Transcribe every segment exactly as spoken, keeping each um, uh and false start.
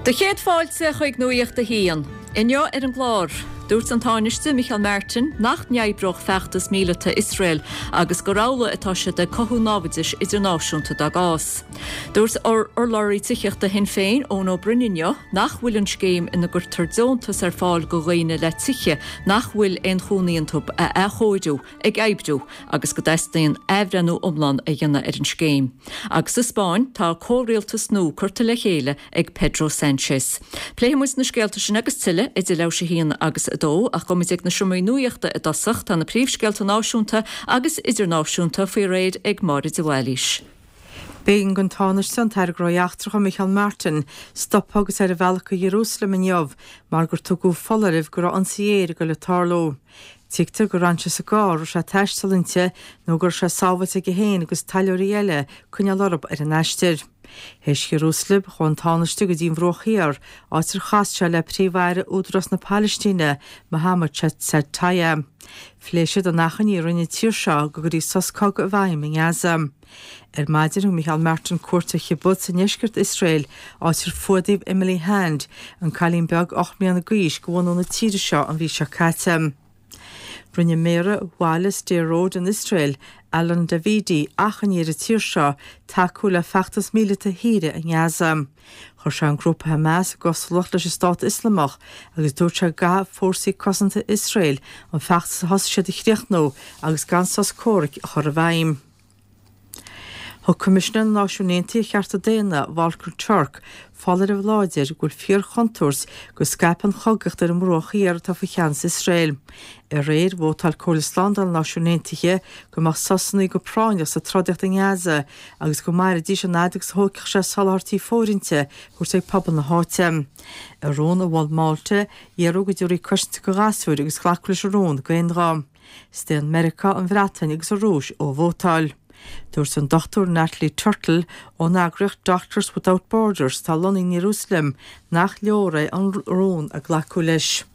Do chéad fáilte chuig Nuacht a hAon. Inniu ar an gclár, dúirt an Tánaiste Micheál Martin nach n-oibreodh feachtas míleata Iosrael agus gur amhlaidh atá siad ag cothú námhaidis idirnáisiúnta dá gcás. Dúirt urlabhraí tithíochta Shinn Féin Eoin Ó Broin inniu nach bhfuil an scéim ina gcuirtear deontas ar fáil do dhaoine le tithe nach bhfuil aon chónaí iontu a athchóiriú ag oibriú agus go dteastaíonn athbhreithniú iomlán a dhéanamh ar an scéim. Agus sa Spáinn tá comhrialtas nua curtha le chéile ag Pedro Sánchez. Pléifidh muid na scéalta sin agus tuilleadh idir leathuair théis a haon agus a dó ach gabhfaimid ag na seomraí nuachta i dtosach tá na príomhscéalta náisiúnta agus idirnáisiúnta faoi réir ag Máire de Bhailís. B'éigean don Tánaiste an tAire Gnóthaí Eachtracha Micheál Martin stopadh agus é ar a bhealach go Ierúsalem inniu mar gur tugadh foláireamh go raibh ionsaí aeir ag dul le tarlú. Tuigtear gur fhan sé sa gcarr a raibh sé ag taisteal inti nó go raibh sé sábháilte aige féin agus taidhleoirí eile coinneáil orthu ar an aistear. Théis Ierúsalem chuaigh an Tánaiste go dtí an Bhruach Thiar, áit ar chas sé le príomh-aire Údarás na Palaistíne, Mohammed Shtayyeh. Phléigh siad an achainí a rinne an tír seo go gcuirfí sos cogaidh i bhfeidhm i nGaza. Ar maidin thug Micheál Martin cuairt ar kibbutz i ndeisceart Iosrael, áit ar fuadaíodh Emily Hand, an cailín beag ocht mbliana d'aois de bhunadh na tíre seo an mhí seo caite. Rinne Méara bhaile Sderot in Iosrael, Alon Davidi, achainí ar an tír seo tacú le feachtas míleata a thíre i nGaza. Chuir sé an grúpa Hamas i gcosúlacht leis an Stát Ioslamach agus dúirt sé go gcaithfidh fórsaí cosanta Iosrael an feachtas a thosaigh siad a chríochnú agus gan sos comhraic a chur i bhfeidhm. Thug Coimisinéir na Náisiún Aontaithe ar Chearta Daonna, Volker Turk, foláireamh láidir go bhfuil fíorchontúirt go scaipfidh an chogaíocht ar an mBruach Thiar atá faoi cheannas Iosrael. Aréir vótáil Comhairle Slándála na Náisiún Aontaithe go mbeadh sosanna go práinneach sa trodaíocht i nGaza agus go mairfidís an fhad agus a thógfadh sé soláthairtí fóirithinte a thabhairt ag pobal na háite. I rún a mhol Málta, iarradh go dtabharfaí cosaint do ghasúir agus glacadh leis an rún d'aon ghuth. Staon Meiriceá, an Bhreatain agus an Rúis ó vótáil. Dúirt an Dr Natalie Turtle ón eagraíocht Doctors Without Borders atá lonnaithe in Ierúsalem nach leor é an rún a glacadh leis.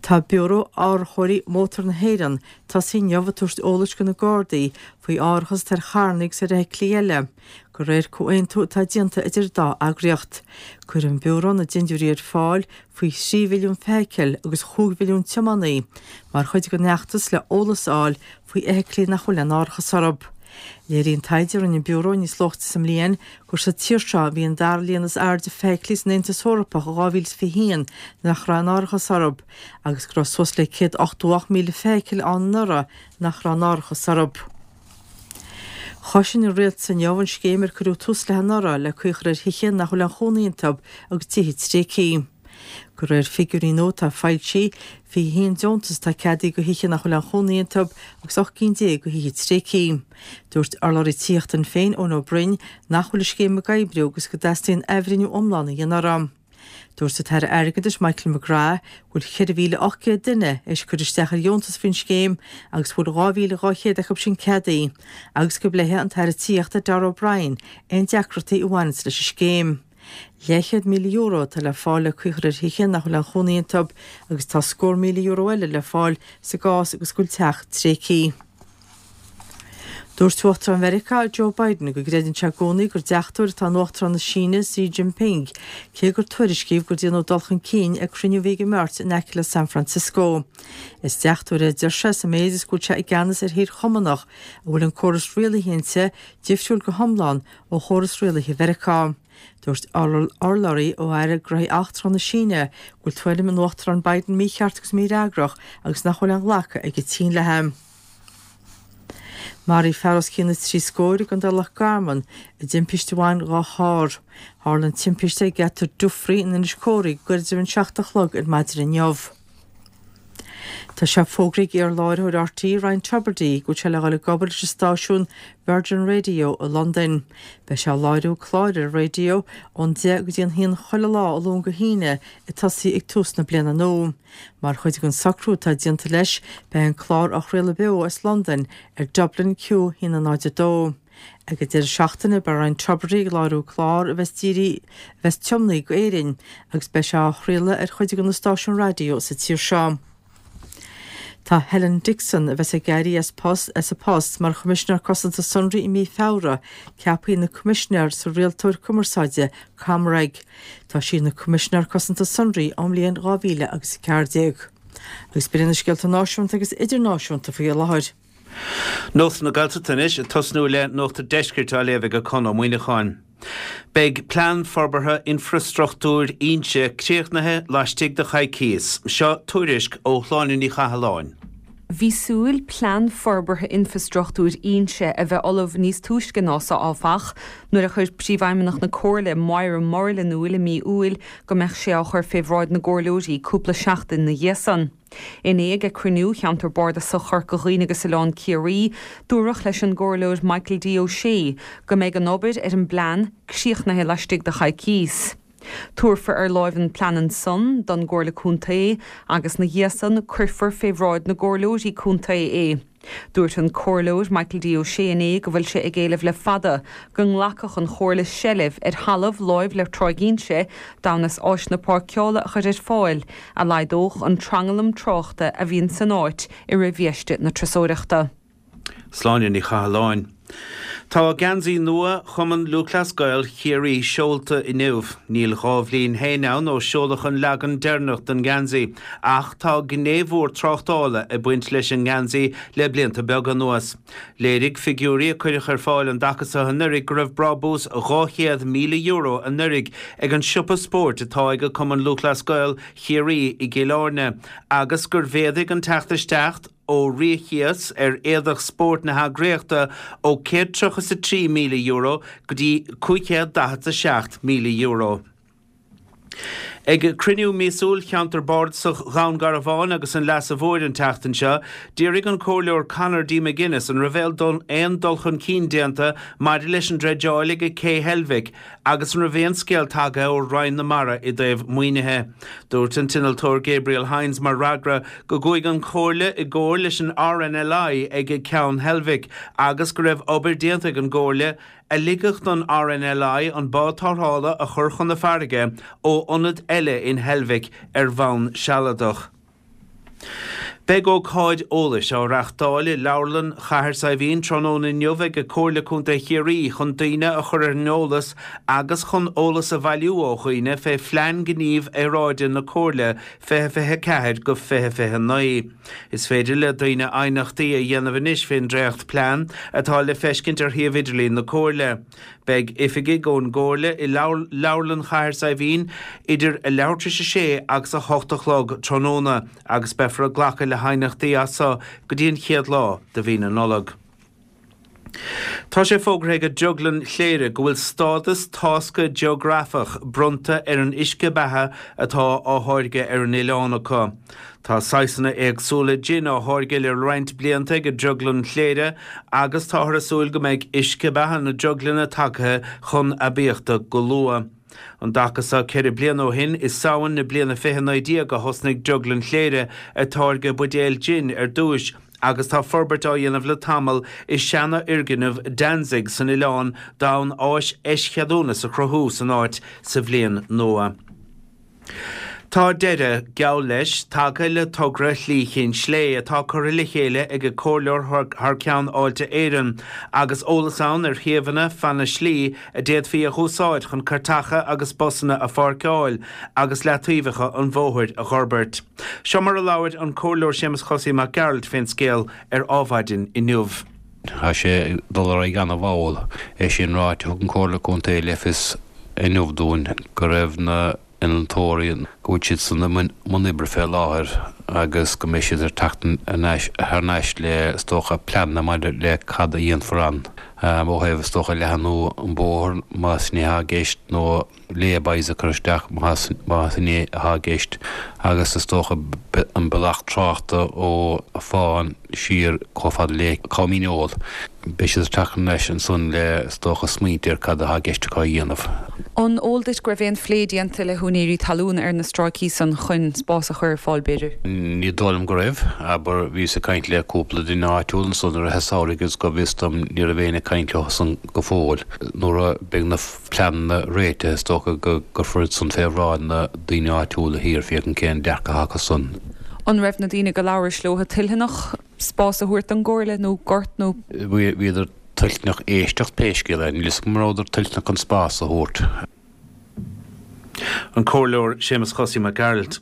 Tá Biúró Árachóirí Mótar na hÉireann tosaithe inniu ag tabhairt eolais do na Gardaí faoi árachas ar charranna agus ar fheithiclí eile, de réir comhaontú atá déanta idir dá eagraíocht. Cuireann an Biúró na dindiúirí ar fáil faoi thrí mhilliún feithicil agus chúig mhilliún tiománaí mar chuid den fheachtas le eolas a fháil faoi fheithiclí nach bhfuil aon árachas orthu. Léiríonn taighde a rinne an Biúró níos luaithe sa mbliain gur sa tír seo a bhí an dara líon is airde feithiclí san Aontas Eorpach i dhá mhíle is fiche haon nach raibh aon árachas orthu, agus go raibh suas le céad ochtó ocht míle feithicil ann anuraidh nach raibh aon árachas orthu. Chosain an rialtas inniu an scéim ar cuireadh tús léi anuraidh le caoi a chur ar thithe nach bhfuil aon chónaí iontu agus tithe tréigthe. De réir figiúirí nua atá foilsithe, fiche haon deontas atá ceadaithe do thithe nach bhfuil aon chónaí iontu agus ocht gcinn déag do thithe tréigthe. Dúirt urlabhraí tithíochta Shinn Féin, Eoin Ó Broin, nach bhfuil an scéim ag oibriú agus go dteastaíonn athbhreithniú iomlán a dhéanamh uirthi. Dúirt an tAire Airgeadais Michael McGrath go bhfuil ceithre mhíle ocht gcéad duine théis cur isteach ar dheontas faoin scéim agus go bhfuil dhá mhíle dhá chéad acu sin ceadaithe agus go bpléifidh an tAire Tithíochta Darragh O'Brien aon deacrachtaí a bhaineanns leis an scéim. Leathchéad míle euro atá le fáil le caoi a chur ar thithe nach bhfuil aon chónaí iontu agus tá scór míle euro eile le fáil sa gcás agus go bhfuil teach tréigthe. Dúirt Uachtarán Mheiriceá Joe Biden go gcreideann sé i gcónaí gur deachtóir atá in Uachtarán na Síne Xi Jinping, cé gur tuairiscíodh gur déanadh dul chun cinn ag cruinniú a bhí ag an mbeirt in aice le San Francisco. Is deachtóir é a deir sé sa méid is go bhfuil sé i gceannas ar thír chumannach a bhfuil an córas rialaithe inti difriúil go hiomlán ó chóras rialaithe Mheiriceá. Dúirt urlabhraí ó Aire Gnóthaí Eachtracha na Síne go bhfuil tuairim an Uachtaráin Biden mícheart agus mífhreagrach agus nach bhfuil aon ghlacadh ag an tSín léi. Maraíodh fear os cionn na trí scór i gContae Loch Garman i dtimpiste a bhain dhá charr. Tharla an timpiste ag geata Dufry in Inis Córthaidh goirid roimh an seacht a chlog ar maidin inniu. Tá sé fógraithe ag iar-láithreoir RTÉ Ryan Tubridy go bhfuil sé le dhul ag obair leis an stáisiún Virgin Radio i Londain. Beidh sé ag láithriú cláir ar an raidió ón deich go dtí an haon chuile lá ó Luan go hAoine ag tosaí ag tús na bliana nua. Mar chuid den socrú atá déanta leis, beidh an clár á chraoladh beo as Londain ar Dublin Q haon a náid a dó. Ag an deireadh seachtaine beidh Ryan Tubridy ag láithriú clár a bheas dírithe a bheas tiomnaithe go Éirinn agus beidh sé á chraoladh ar chuid de na stáisiúin raidió sa tír seo. Tá Helen Dixon, a bheas ag éirí as post as a post mar Choimisinéir Cosanta Sonraí i mí Feabhra, ceaptha ina Coimisinéir sa Rialtóir Cumarsáide, ComReg. Tá sí ina Coimisinéir Cosanta Sonraí ón mbliain dhá mhíle agus a ceathair déag. Agus b'in na scéalta náisiúnta agus idirnáisiúnta faoi láthair. Nuacht na Gaeltachta anois, ag tosnú le Nuacht an Deiscirt á léamh ag Conn Ó Muíneacháin. Beidh Plean Forbartha Infreastruchtúir Inse críochnaithe laistigh de choicíos. Seo tuairisc ó Shláine Ní Chathalláin. Bhí súil Plean Forbartha Infreastruchtúir Inse a bheith ullamh níos túisce ná so áfach, nuair a chuir Príomhfheidhmeannach na Comhairle, Moira Murrell in iúl i mí Iúil go mbeadh sé á chur fé bhráid na gcomhairleoirí cúpla seachtain 'na dhiaidh san. Inné ag cruinniú Cheantar Bardasach Chorca Dhuibhne agus Oileán Ciarraí, dúradh leis an gComhairleoir Michael D. Ó Sé go mbeidh an obair ar an bplean críochnaithe laistigh de choicíos. Tabharfar ar láimh an plean ansan don gComhairle Contae agus 'na dhiaidh san cuirfear fé bhráid na gcomhairleoirí contae é. Dúirt an Comhairleoir Michael D. Ó Sé inné go bhfuil sé ag éileamh le fada go nglacfadh an Chomhairle seilbh ar thalamh láimh le Tráigh Inse d'fhonn is áiseanna páirceála a chur ar fáil a laghdódh an tranglam tráchta a bhíonn san áit i rith bhiaiste na turasóireachta. Sláine Ní Chathalláin. Tá geansaí nua Chumann Lúthchleas Gael Chiarraí seolta inniu. Níl dhá bhliain féin ann ó seoladh an leagan deireanach den gheansaí, ach tá gné mhór tráchtála ag baint leis an ngeansaí le blianta beaga anuas. Léirigh figiúirí a cuireadh ar fáil an dtaca seo anuraidh go raibh brabús dhá chéad míle euro anuraidh ag an siopa spóirt atá ag Cumann Lúthchleas Gael Chiarraí i gCill Airne agus gur mhéadaigh an teacht isteach ó ríomhchíos ar éadach spóirt na heagraíochta ó céad tríocha is a trí míle euro go dtí cúig chéad daichead a seacht míle euro. Ag cruinniú míosúil Cheantar Bardasach Dhún Garbhán agus an Leasa Mhóir an tseachtain seo, d'fhiafraigh an Comhairleoir Conor D. McGuinness an raibh aon dul chun cinn déanta maidir leis an dreideáil ag Cé Heilbhic agus an raibh aon scéal tagtha ó Roinn na Mara i dtaobh maoinithe. Dúirt an t-innealtóir Gabriel Hynes mar fhreagra go gcuaigh an Chomhairle i gcomhar leis an R N L I ag Ceann Heilbhic agus go raibh obair déanta ag an gComhairle a ligfeadh don R N L I an bád tarrthála a chur chun na farraige ó ionad eile in Heilbhic ar bhonn sealadach. Beidh ócáid eolais á reáchtáil i Leabharlann Chathair Saidhbhín tráthnóna inniu ag Comhairle Contae Chiarraí chun daoine a chur ar an eolas agus chun eolas a bhailiú ó dhaoine fé Phlean Gnímh Aeráide na Comhairle fiche fiche ceathair go fiche fiche naoi. Is féidir le daoine aighneachtaí a dhéanamh anois fén dréacht plean atá le feiscint ar shuíomh idirlín na Comhairle. Beidh oifigigh ón gComhairle i Leabharlann Chathair Saidhbhín idir a leathuair tar éis a sé agus a hocht a chlog tráthnóna agus beifear ag glacadh le haighneachtaí as so go dtí an chéad lá de mhí na Nollag. Tá sé fógartha ag Drioglann Chléire go bhfuil stádas tásca geografach bronnta ar an uisce beatha atá á tháirgeadh ar an oileán acu. Tá saghsanna éagsúla jin á tháirgeadh le roinnt blianta ag Drioglann Chléire agus táthar ag súil go mbeidh uisce beatha na drioglainne tagtha chun aibíochta go luath. An dtaca seo ceithre bliana ó shin, i Samhain na bliana fiche naoi déag a thosnaigh Drioglann Chléire ag táirgeadh buidéal jin ar dtúis agus tá forbairt á dhéanamh le tamall i seanfhoirgneamh Danzig san oileán d'fhonn áis eischeadúnas a chruthú san áit sa bhliain nua. Tá deireadh, geall leis, tagtha le togra Shlí Chinn Slé atá curtha le chéile ag an comhairleoir thar ceann Fháilte Éireann agus eolas ann ar shuíomhanna feadh na slí a d'fhéadfaí a dh'úsáid chun cairteacha agus busanna a pháirceáil agus leataobhacha an bhóthair a dh'fhorbairt. Seo mar a labhair an Comhairleoir Séamus Chosaí Mac Gearailt fén scéal ar Adhmhaidin inniu. Tá sé ag dul ar aghaidh an-mhall. É sin ráite, thug an Comhairle Contae le fios inniu dúinn go raibh na innealtóirí, go bhfuil siad san i mbun oibre fé láthair agus go mbeidh siad ar teacht thar n-ais le, is dócha, pleananna maidir le cad a dhéanfar ann ó thaobh, is dócha, leathnú an bóthar más sin é atá i gceist nó lay-bys a chur isteach más sin é atá i gceist agus is dócha an bealach tráchta ó Fán siar chomh fada le Com Dhíneol. Beidh siad ag teacht thar n-ais ansan le, is dócha, smaointe ar cad atá i gceist acu a dhéanamh. An eol duit go raibh aon phlé déanta le húinéirí talún ar na stráicí san chun spás a chur ar fáil, b'fhéidir? Ní dóigh liom go raibh. Abair, bhíos ag caint le cúpla duine áitiúil ansan i rith an samhraidh agus go bhfios dom ní raibh éinne ag caint leo san go fóill. Nuair a bheidh na pleananna réitithe is dócha go gcuirfear iad san fé bhráid na daoine áitiúla thiar féachaint cén dearcadh atá acu san. An raibh na daoine go labhrais leo toilteanach spás a thabhairt don gComhairle nó gort nó? Bhíodar toilteanach éisteacht pé scéal é, níl a fhios agam an rabhadar toilteanach an spás a thabhairt. An Comhairleoir Séamus Chosaí Mac Gearailt.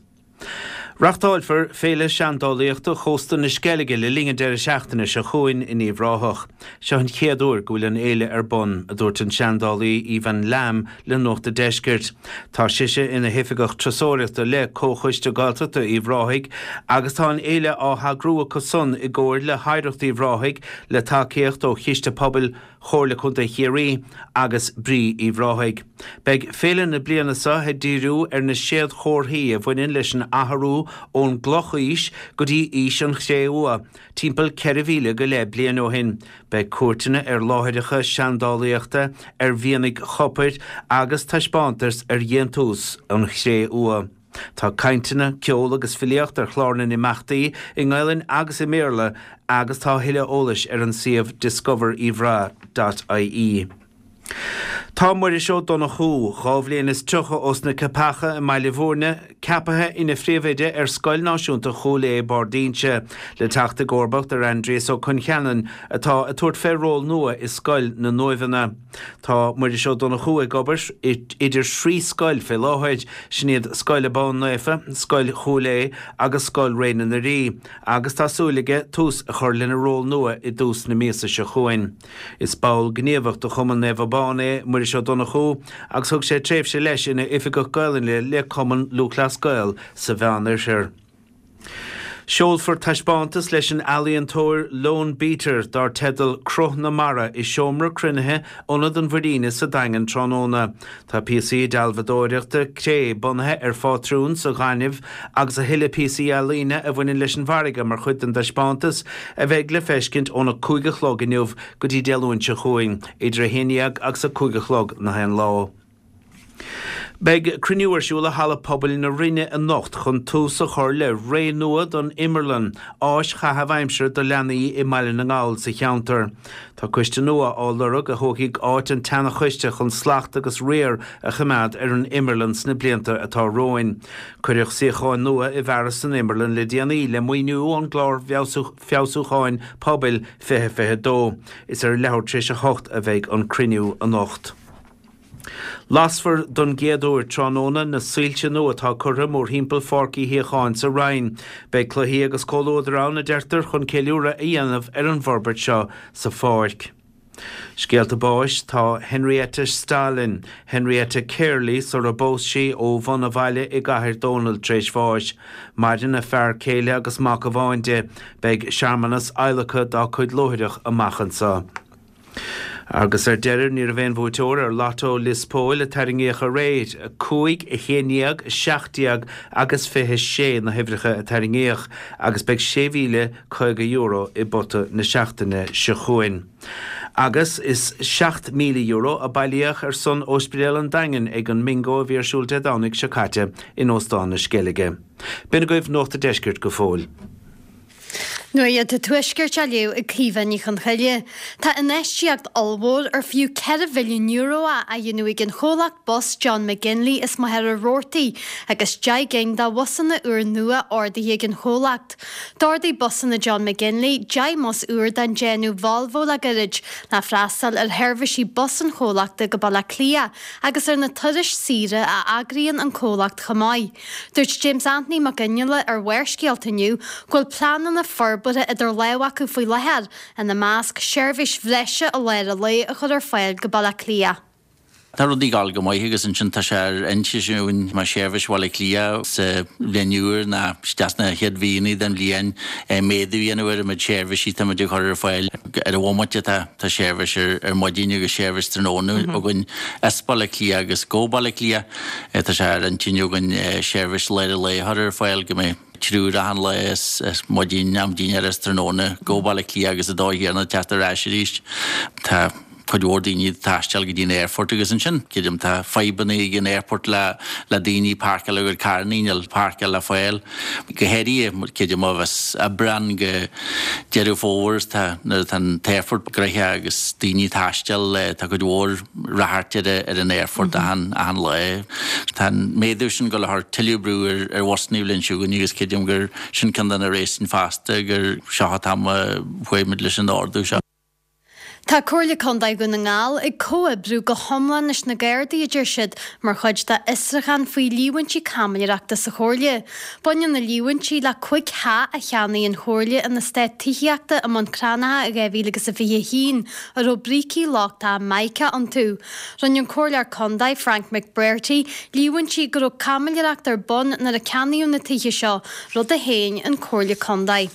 Reáchtálfar Féile Seandálaíochta Chósta na Sceilge le linn an deireadh seachtaine seo chugainn in Uíbh Ráthach. Seo an chéad uair go bhfuil an fhéile ar bun, a dúirt an seandálaí Aoibheann Lambe le Nuacht an Deiscirt. Tá sise ina hoifigeach turasóireachta le Comhchoiste Gaeltachta Uíbh Ráthaigh agus tá an fhéile á heagrú acu san i gcomhar le hOidhreacht Uíbh Ráthaigh le tacaíocht ó Chiste Pobail Chomhairle Contae Chiarraí agus Brí Uíbh Ráthaigh. Beidh féile na bliana seo ag díriú ar na séadchomharthaí a bhaineann leis an athrú ón gclochaois go dtí aois an chré-umha, timpeall ceithre mhíle go leith bliain ó shin. Beidh cuairteanna ar láithreacha seandálaíochta, ar mhianaigh chopair agus taispeántais ar dhéantús an chré-umha. Tá cainteanna, ceol agus filíocht ar chlár na n-imeachtaí i nGaelainn agus i mBéarla agus tá a thuilleadh eolais ar an suíomh discoveruíbhrath dot ie. Tá Muiris Ó Donnchú, dhá bhliain is tríocha ós na Ceapacha i mBaile Bhúirne, ceapaithe ina phríomhoide ar Scoil Náisiúnta Chúil Aodha, Barr d'Inse, le teacht i gcomharbacht ar Aindrias Ó Concheanainn atá ag tabhairt fé ról nua i Scoil na nUaimheanna. Tá Muiris Ó Donnchú ag obair idir thrí scoil fé láthair, sin iad Scoil Abán Naofa, Scoil Chúil Aodha agus Scoil Réine na Rí, agus tá súil aige tús a chur lena ról nua i dtús na míosa seo chugainn. Is ball gníomhach de Chumann Naomh Abán é Muiris Ó Donnchú agus thug sé tréimhse leis ina Oifigeach Gaelainne le Cumann Lúthchleas Gael sa Mheánoirthear. Seolfar taispeántas leis an ealaíontóir Lone Beater dar teideal 'Cruth na Mara' i seomra cruinnithe Ionad an Mhuirínigh sa Daingean tráthnóna. Tá píosaí dealbhadóireachta cré bunaithe ar phátrúin sa ghaineamh agus a thuilleadh píosaí ealaíne a bhaineann leis an bhfarraige mar chuid den dtaispeántas a bheidh le feiscint óna cúig a chlog inniu go dtí Dé Luain seo chugainn, idir a haon dhéag agus a cúig a chlog na haon lá. Beidh cruinniú ar siúl i Halla Pobail na Rinne anocht chun tús a chur le ré nua don Imearlann, áis chaitheamh aimsire do leanaí i mBaile na nGall sa cheantar. Tá coiste nua á lorg a thógfaidh áit an tseana-choiste chun slacht agus riar a choimeád ar an Imearlann sna blianta atá romhainn. Cuireadh suíocháin nua i bhfearas san Imearlann le déanaí le maoiniú ón gClár Feabhsúcháin Pobail fiche fiche dó. Is ar leathuair tar éis a hocht a bheidh an cruinniú anocht. Lasfar don gcéad uair tráthnóna na soilse nua atá curtha mórthimpeall Pháirc Uí Shíocháin sa Rinn. Beidh cluichí agus comhluadar ann, a deirtear, chun ceiliúradh a dhéanamh ar an bhforbairt seo sa pháirc. Scéalta báis Tá Henrietta Stalin, Henrietta Cearley sara bpós sí, ó Bhun a' Bhaile i gCathair Dónall tar éis bháis. Maireann a fear céile agus mac amháin di. Beidh searmanas adhlactha dá cuid luaithreach amach anseo. Agus ar deireadh, ní raibh aon bhuaiteoir ar Lotto Lios Póil a tarraingíodh aréir. A cúig, a haon déag, a seacht déag agus fiche sé na huimhreacha a tarraingíodh agus beidh sé mhíle caoga euro i bpota na seachtaine seo chugainn. Agus is seacht míle euro a bailíodh ar son Ospidéal an Daingin ag an mBingo a bhí ar siúl Dé Domhnaigh seo caite in Óstán na Sceilge. B'in agaibh Nuacht a' Deiscirt go fóill. Nuacht an Tuaiscirt á léamh ag Caoimhe Ní Chonchoille. Tá infheistíocht ollmhór ar fiú ceithre bhilliún euro á dhéanamh ag an chomhlacht bus John McGinley as Machaire Rabhartaigh agus deich gcinn de bhusanna úrnua ordaithe ag an chomhlacht. D'ordaigh Busanna John McGinley deich mbus úr den déanamh Volvo le gairid le freastal ar sheirbhísí bus an chomhlachta go Baile Átha Cliath agus ar na turais saoire a eagraíonn an comhlacht chomh maith. Dúirt James Anthony Mac Fhionnghaile ar Bharrscéalta inniu go bhfuil pleananna forbartha idir lámha acu faoi láthair, ina measc, seirbhís bhreise i lár an lae a chur ar fáil go Baile Átha Cliath. Tá rudaí ag gabháil go maith agus ansin tá sé ar intinn againn mar sheirbhís Bhaile Átha Cliath sa bhliain úr ná isteach sna chéad mhíonna den bhliain méadú a dhéanamh ar an méid seirbhísí tá muid ag cur ar fáil. Ar an bhomaite tá tá seirbhís ar ar maidin agus seirbhís tráthnóna againn as Baile Átha Cliath agus go Baile Átha Cliath. Tá sé ar intinn againn seirbhís lár an lae a chur ar fáil go mbeidh triúr achan lá as maidin, am dinnéir is tráthnóna go Baile Átha Cliath agus an dóigh chéanna teacht ar ais arís. Tá cuid mhór daoine ag taisteal go dtí an aerfort agus ansin creidim tá fadhbanna ag an aerfort le le daoine páirceáil a gcuid carranna níl páirceáil le fáil. Go háirithe creidim ó bheas Aibreán go Deireadh Fómhair tá nuair atá an t-aerfort gnoitheach agus daoine ag taisteal tá cuid mhór ráchairt ar ar an aerfort achan achan lá. Tá an méadú sin ag dul a chur tuilleadh brú ar ar bhusanna an bhliain seo chugainn agus creidim gur sin ceann de na réasúin fosta gur seo an t-am a chuaigh muid leis an ardú seo. Tá Comhairle Contae Dhún na nGall ag comhoibriú go hiomlán leis na Gardaí, a deir siad, mar chuid dá bhfiosrúchán faoi líomhaintí caimiléireachta sa Chomhairle. Baineann na líomhaintí le cúig theach a cheannaigh an Chomhairle in eastát tithíochta i mBun Cranncha i dhá mhíle agus a fiche a haon a raibh brící lochtacha mica iontu. Rinne an Comhairleoir Contae, Frank McBrearty, líomhaintí go raibh caimiléireacht ar bun nuair a ceannaíodh na tithe seo, rud a shéan an Chomhairle Contae.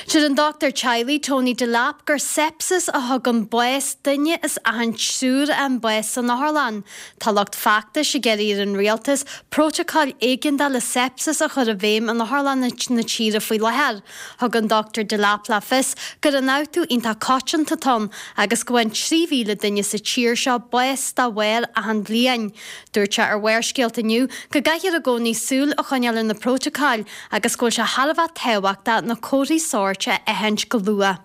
Deir an dochtúir teaghlaigh Tony Delap gur sepsis a thugann bás duine as achan triúr a fhaigheann bás san otharlann. Tá lucht feachtais ag iarraidh ar an rialtas prótacáil éigeandála sepsis a chur i bhfeidhm in otharlanna na tíre faoi láthair. Thug an Dochtúir Delap le fios gur ionfhabhtú iontach coitianta atá ann agus go bhfaigheann trí mhíle duine sa tír seo bás dá bharr achan bhliain. Dúirt sé ar Bharrscéalta inniu go gcaithfear i gcónaí súil a choinneáil ar na prótacáil agus go bhfuil sé thar a bheith tábhachtach na comharthaí sóirt a aithint go luath.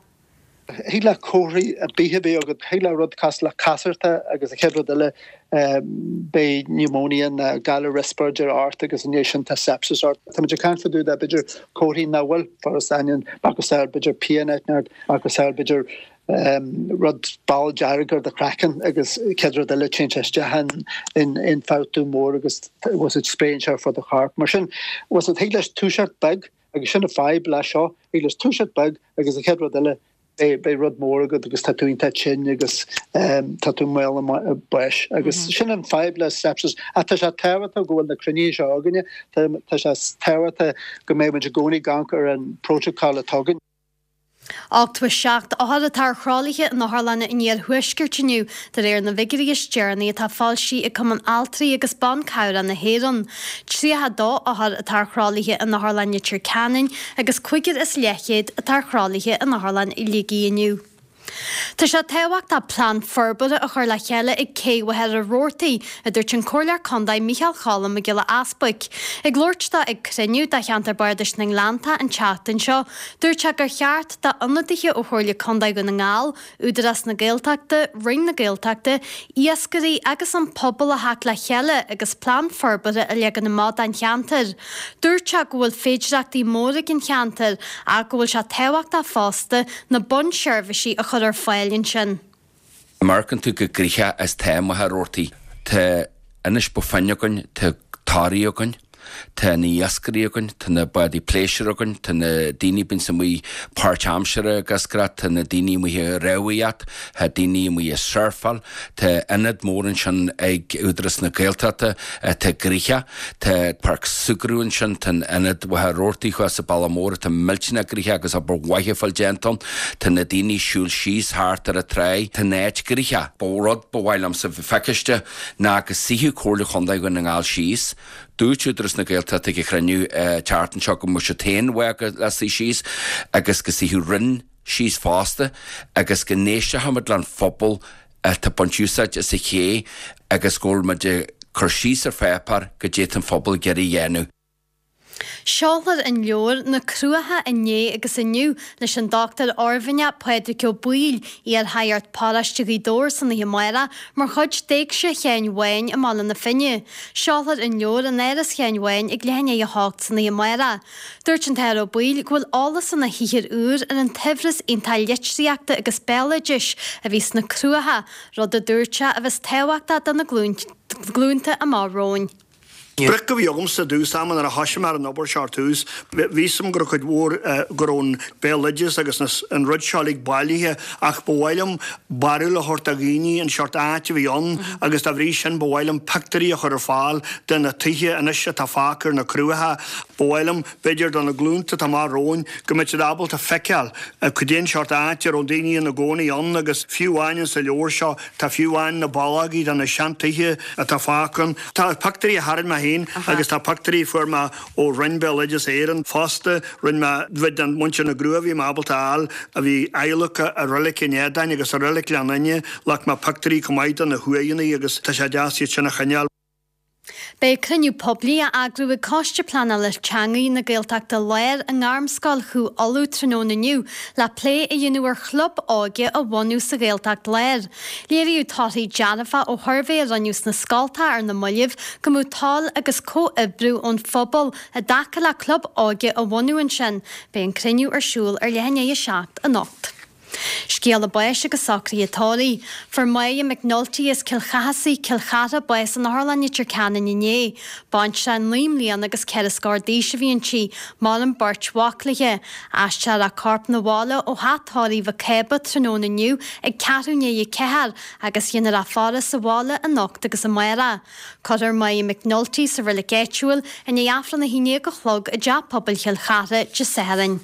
Thig le comharthaí ar bith a bheith agat, thig le rud cosúil le casartach agus an chéad rud eile beidh pneumonia nó galar riospráide ort agus i ndiaidh sin tá sepsis ort. Tá muid ag caint fá dtaobh de b'fhéidir comharthaí nach bhfuil furasta macasamhail b'fhéidir pian ort macasamhail b'fhéidir rud ball dearg ar do chraiceann agus chéad rud eile téann sé isteach in ionfhabhtú mór agus was it spréann sé ar fud do choirp. Mar sin was it thig leis toiseacht beag agus sin an fadhb leis seo thig leis toiseacht beag agus an chéad rud eile beidh rud mór agat agus tá tú iontach tinn agus tá tú i mbaol an bháis agus sin an fadhb le sepsis. Ach tá sé tábhachtach go bhfuil na cruinnithe seo againne, tá sé tábhachtach go mbeidh muid i gcónaí ag amharc ar an protocol atá againn. Ochtó a seacht othar atá ar thralaithe in otharlanna an iarthuaiscirt inniu, de réir na bhfigiúirí is deireanaí atá foilsithe ag Cumann Altraí agus Ban Cabhrach na hÉireann. tríocha a dó othar atá ar thralaithe in Otharlann Leitir Ceanainn agus cúigear is leathchéad atá ar thralaithe in Otharlann Shligigh inniu. Tá sé tábhachtach plean forbartha a chur le chéile ag Cé Mhachaire Rabhartaigh, a dúirt an Comhairleoir Contae Micheál Cholm Mac Giolla Easbuic. Ag labhairt dó ag cruinniú de cheantar Bardais na nGleannta an tseachtain seo, dúirt sé gur cheart d'ionadaithe ó Chomhairle Contae Dhún na nGall, Údarás na Gaeltachta, Roinn na Gaeltachta, iascairí agus an pobal a theacht le chéile agus plean forbartha a leagan amach don cheantar. Dúirt sé go bhfuil féidireachtaí móra ag an cheantar ach go bhfuil sé tábhachtach fosta na bunseirbhísí a chur ar fáil ansin. Amharcann tú go gnoitheach is tá Machaire Rabhartaigh. Tá Inis Bó Finne againn, tá Toraigh againn, tá na iascairí againn, tá na bádaí pléisiúir againn, tá na daoine bíonns amuigh páirtaimseartha ag iascaireacht, tá na daoine amuigh ag rámhaíocht, tá daoine amuigh ag surfáil, tá ionad mór ansin ag Údarás na Gaeltachta atá gnoitheach, tá páirc súgartha ansin, tá an ionad Mhachaire Rabhartaigh thuas sa Bhaile Mór atá millteanach gnoitheach agus obair mhaith ag fáil déanta ann, tá na daoine ag siúl síos thart ar an tráigh, tá an áit gnoitheach. Ba rud ba mhaith liomsa feiciste ná go suífeadh Comhairle Chontae Dhún na nGall síos, Dúirt Údarás na Gaeltachta ag an chruinniú an tseachtain seo go mbeadh siad féin bhfágtha le suí síos agus go suífeadh Roinn síos fosta agus go n-éistfeadh muid leis an phobal atá ag baint úsáid as an ché agus go bhfuil muid ag cur síos ar pháipéar goidé tá an phobal ag iarraidh a dhéanamh. Seolfar an leabhar Na Cruacha Inné agus Inniu leis an Dochtúir Oirmhinneach Pádraig Ó Baoill, iar-shagart paróiste Ghaoth Dobhair san oíche amárach mar chuid d'Éigse Sheáin Bháin i mBaile na Finne. Seolfar an leabhar in Áras Sheáin Bháin ag leath i ndiaidh a hocht san oíche amárach. Dúirt an tAthair Ó Baoill go bhfuil eolas ina shaothar úr ar an tsaibhreas iontach litríochta agus béaloidis a bhí sna Cruacha, rud a dúirt sé a bheas tábhachtach do na glúnta amach romhainn. Sprioc a bhí agamsa i dtús ama nuair a thosaigh mé ar an obair seo ar tús, bhí fhios agam go raibh cuid mhór, go raibh an béaloideas agus an rud seo uilig bailithe ach ba mhaith liom barúil a thabhairt do dhaoine an seort áit a bhí ann agus dá bhrí sin ba mhaith liom pictiúirí a chur ar fáil de na tithe anois atá fágtha ar na Cruacha. Ba mhaith liom, b'fhéidir, do na glúnta atá amach romhainn go mbeadh siad ábalta feiceáil cad é an seort áit a raibh daoine ina gcónaí ann agus fiú amháin sa leabhar seo tá fiú amháin na ballógaí de na seantithe atá fágtha ann. Tá pictiúirí a tharraing mé féin. féin agus tá pictiúirí a fuair mé ó Roinn Béaloideas Éireann fosta, rinne mé cuid de mhuintir na gCrú a bhí mé ábalta a fháil a bhí adhlactha i Reilig an Fheadáin agus i Reilig Ghleann Fhinne, ghlac mé pictiúirí chomh maith de na huaigheanna agus tá sé deas iad sin a choinneáil. Beidh cruinniú poiblí á eagrú ag Coiste Pleanála Teanga na Gaeltachta Láir i nGairmscoil Chú Uladh tráthnóna inniu le plé a dhéanamh ar chlub óige a bhunú sa Ghaeltacht Láir. Léiríodh torthaí dearfa ó shuirbhé a rinneadh sna scoltacha ar na mallaibh go mbeadh toil agus comhoibriú ón phobal i dtaca le club óige a bhunú ansin. Beidh an cruinniú ar siúl ar leath i ndiaidh a seacht anocht. Scéala báis agus socruithe tórraimh. Fuair Máire McNulty as Cill Chathasaigh, Cill Chartha, bás in Otharlann Leitir Ceanainn inné. Baintreach naoi mbliana agus ceithre scór d'aois a bhí inti. Maireann beirt mhac léi. Aistreofar a corp 'na bhaile ó theach tórraimh Mhic Cába tráthnóna inniu ag ceathrú i ndiaidh a ceathair agus dhéanfar a faire sa bhaile anocht agus amárach. Cuirfear Máire McNulty sa reilig áitiúil i ndiaidh Aifreann a haon déag a chlog i dTeach Pobail Chill Chartha Dé Sathairn.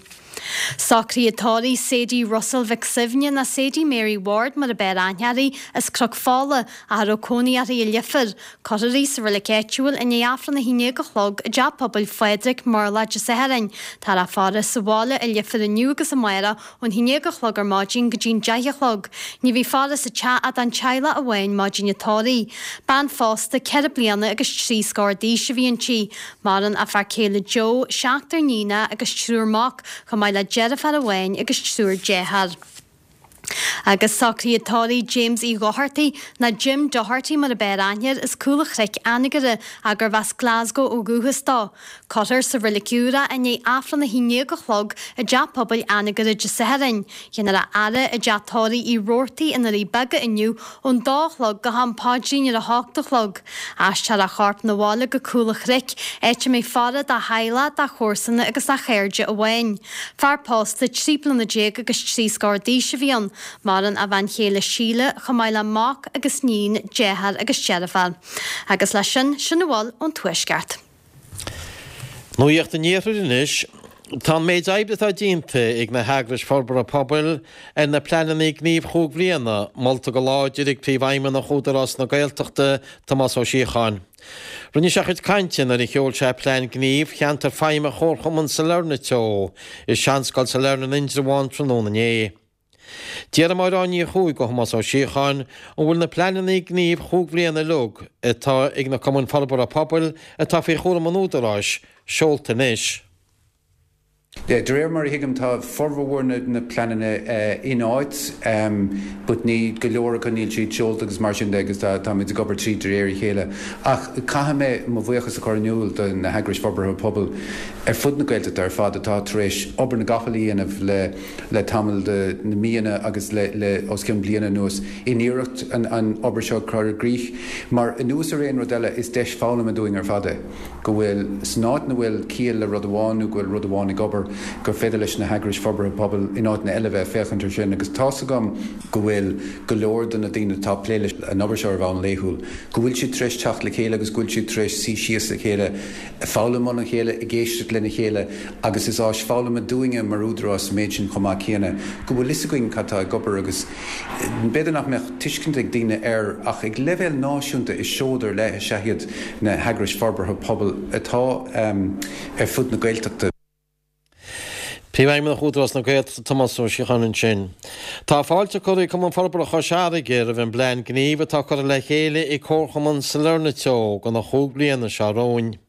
Socruithe tórraimh Sadie Russell Mhic Suibhne nó Sadie Mary Ward mar ab fhearr aithne uirthi as Cnoc Fola ach a raibh cónaí uirthi i Leifear. Cuirfear í sa reilig áitiúil i ndiaidh Aifreann a haon déag a chlog i dTeach Pobail Phádraig, Murlach Dé Sathairn. Táthar á faire sa bhaile i Leifear inniu agus amárach ón haon déag a chlog ar maidin go dtí'n deich a chlog. Ní bheidh faire sa teach ach don teaghlach amháin maidin an tórraimh. Bean phósta ceithre bliana agus trí scór d'aois a bhí inti. Maireann a fear céile Joe, seachtar níonacha agus triúr mac, chomh maith le deirfiúr amháin agus triúr dearthár. Agus socruithe tórraimh James Uí Dhochartaigh, nó Jim Doherty mar ab fhearr aithne air, as Cúl an Chnoic, Anagaire, ach gurbh as Glasgow ó dhúchas dó. Cuirfear sa reilig úr é i ndiaidh Aifreann a haon déag a chlog i dTeach Pobail Anagaire Dé Sathairn. Dhéanfar a fhaire i dTeach Tórraimh Uí Robhartaigh i nDoirí Beaga inniu ón dó a chlog go ham paidrín ar a hocht a chlog. Aistreofar a chorp 'na bhaile go Cúl an Chnoic, áit a mbeidh faire dá theaghlach, dá chomharsana agus dá chairde amháin. Fear pósta trí bliana déag agus trí scór d'aois a bhí ann. Maireann a bhean chéile Síle, chomh maith le mac agus níon, deartháir agus deirfiúr. Agus leis sin, sin a bhfuil ón Tuaisceart. Nuacht an Iarthair anois. Tá an méid oibre atá déanta ag na heagrais forbartha pobail ar na pleananna gnímh chúig bhliana molta go láidir ag Príomhfheidhmeannach Údarás na Gaeltachta, Tomás Ó Síocháin. Rinne sé a chuid cainte nuair a sheol sé plean gnímh cheantar feidhme Chomharchumann Sailearna Teo i Seanscoil Sailearna in Indreabhán tráthnóna inné. D'iarr Máire Áine Ní Chuaig ó Thomás Ó Síocháin an bhfuil na pleananna gnímh chúig bhliana uilig atá ag na cumainn forbartha pobail atá faoi chúram an Údaráis seolta anois. De réir mar a thuigim tá formhór na pleananna in áit but ní go leor acu níl siad seolta agus mar sin de agus táimid ag obair tríd de réir a chéile. Ach caithfidh mé mo bhuíochas a chur in iúl do na heagrais forbartha pobail ar fud na Gaeltachta ar fad atá tar éis obair na gcapall a dhéanamh le le tamall de na míonna agus le le os cionn bliana anuas in iarracht an an obair seo a chur i gcrích. Mar anuas ar aon rud eile is deis foghlama dúinn ar fad é go bhfuil san áit ina bhfuil ciall le rud amháin nó go bhfuil rud amháin ag obair gur féidir leis na heagrais forbartha pobail in áiteanna eile bheith ag féachaint air sin agus tá's agam go bhfuil go leor de na daoine atá ag plé leis an obair seo ar bhonn laethúil, go bhfuil siad tar éis teacht le chéile agus go bhfuil siad tar éis suí síos le chéile, ag foghlaim óna chéile, ag éisteacht lena chéile agus is áis foghlama dúinne mar Údarás an méid sin chomh maith céanna, go bhfuil fhios againn cad tá ag obair agus b'fhéidir nach mbeadh tuiscint ag daoine air ach ag leibhéal náisiúnta is seoid ar leith is ea iad na heagrais forbartha pobail atá ar fud na Gaeltachta. Príomhfheidhmeannach Údarás na Gaeltachta Tomás Ó Síocháin ansin. Tá fáilte curtha ag Cumann Forbartha Chois Fharraige roimh an bplean gnímh atá curtha le chéile ag Comharchumann Sailearna Teo do na chúig bliana seo romhainn.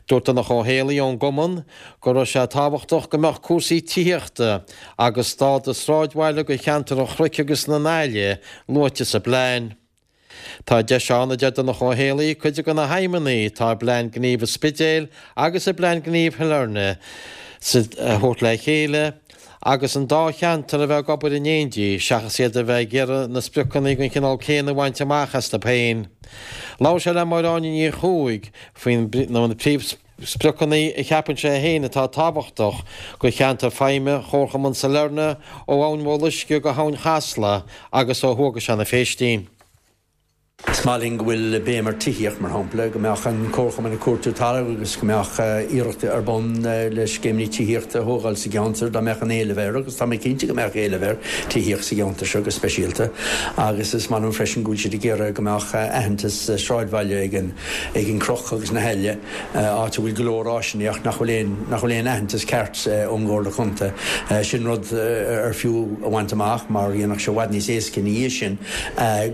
Dúirt Donncha Ó Héalaí ón gcumann go raibh sé tábhachtach go mbeadh cúrsaí tithíochta agus stádas sráidbhaile do cheantar an Chnoic agus na nAille luaite sa bplean. Tá deis ann, a deir Donncha Ó Héalaí, cuid de na haidhmeanna atá i bPlean Gnímh an Spidéil agus i bPlean Gnímh Shailearna a thabhairt le chéile agus an dá cheantar a bheith ag obair in éindí seachas iad a bheith ag iarraidh na spriocanna den chineál céanna a bhaint amach astu féin. Labhair sé le Máire Áine Ní Chuaig faoi na príomhspriocanna a cheapann sé féin atá tábhachtach do cheantar feidhme Chomharchumann Sailearna ó Abhainn Bhéal Uisce go hAbhainn Chasla agus ó thuaidh go Seanadh Phéistín. Is maith linn go bhfuil béim ar tithíocht mar shampla, go mbeadh an comharchumann ag cuartú talamh agus go mbeadh iarracht ar bun le scéimeanna tithíochta a thógáil sa gceantar dá mbeadh an éileamh air agus tá mé cinnte go mbeadh éileamh ar tithíocht sa gceantar seo go speisialta agus is maith liom freisin go bhfuil siad ag iarraidh go mbeadh aitheantas sráidbhaile ag an ag an Chnoc agus na hAille, áit a bhfuil go leor áiseanna ach nach bhfuil aon nach bhfuil aon aitheantas ceart ón gComhairle Contae. Sin rud ar fiú a bhaint amach mar dhéanfadh sé i bhfad níos éasca ina dhiaidh sin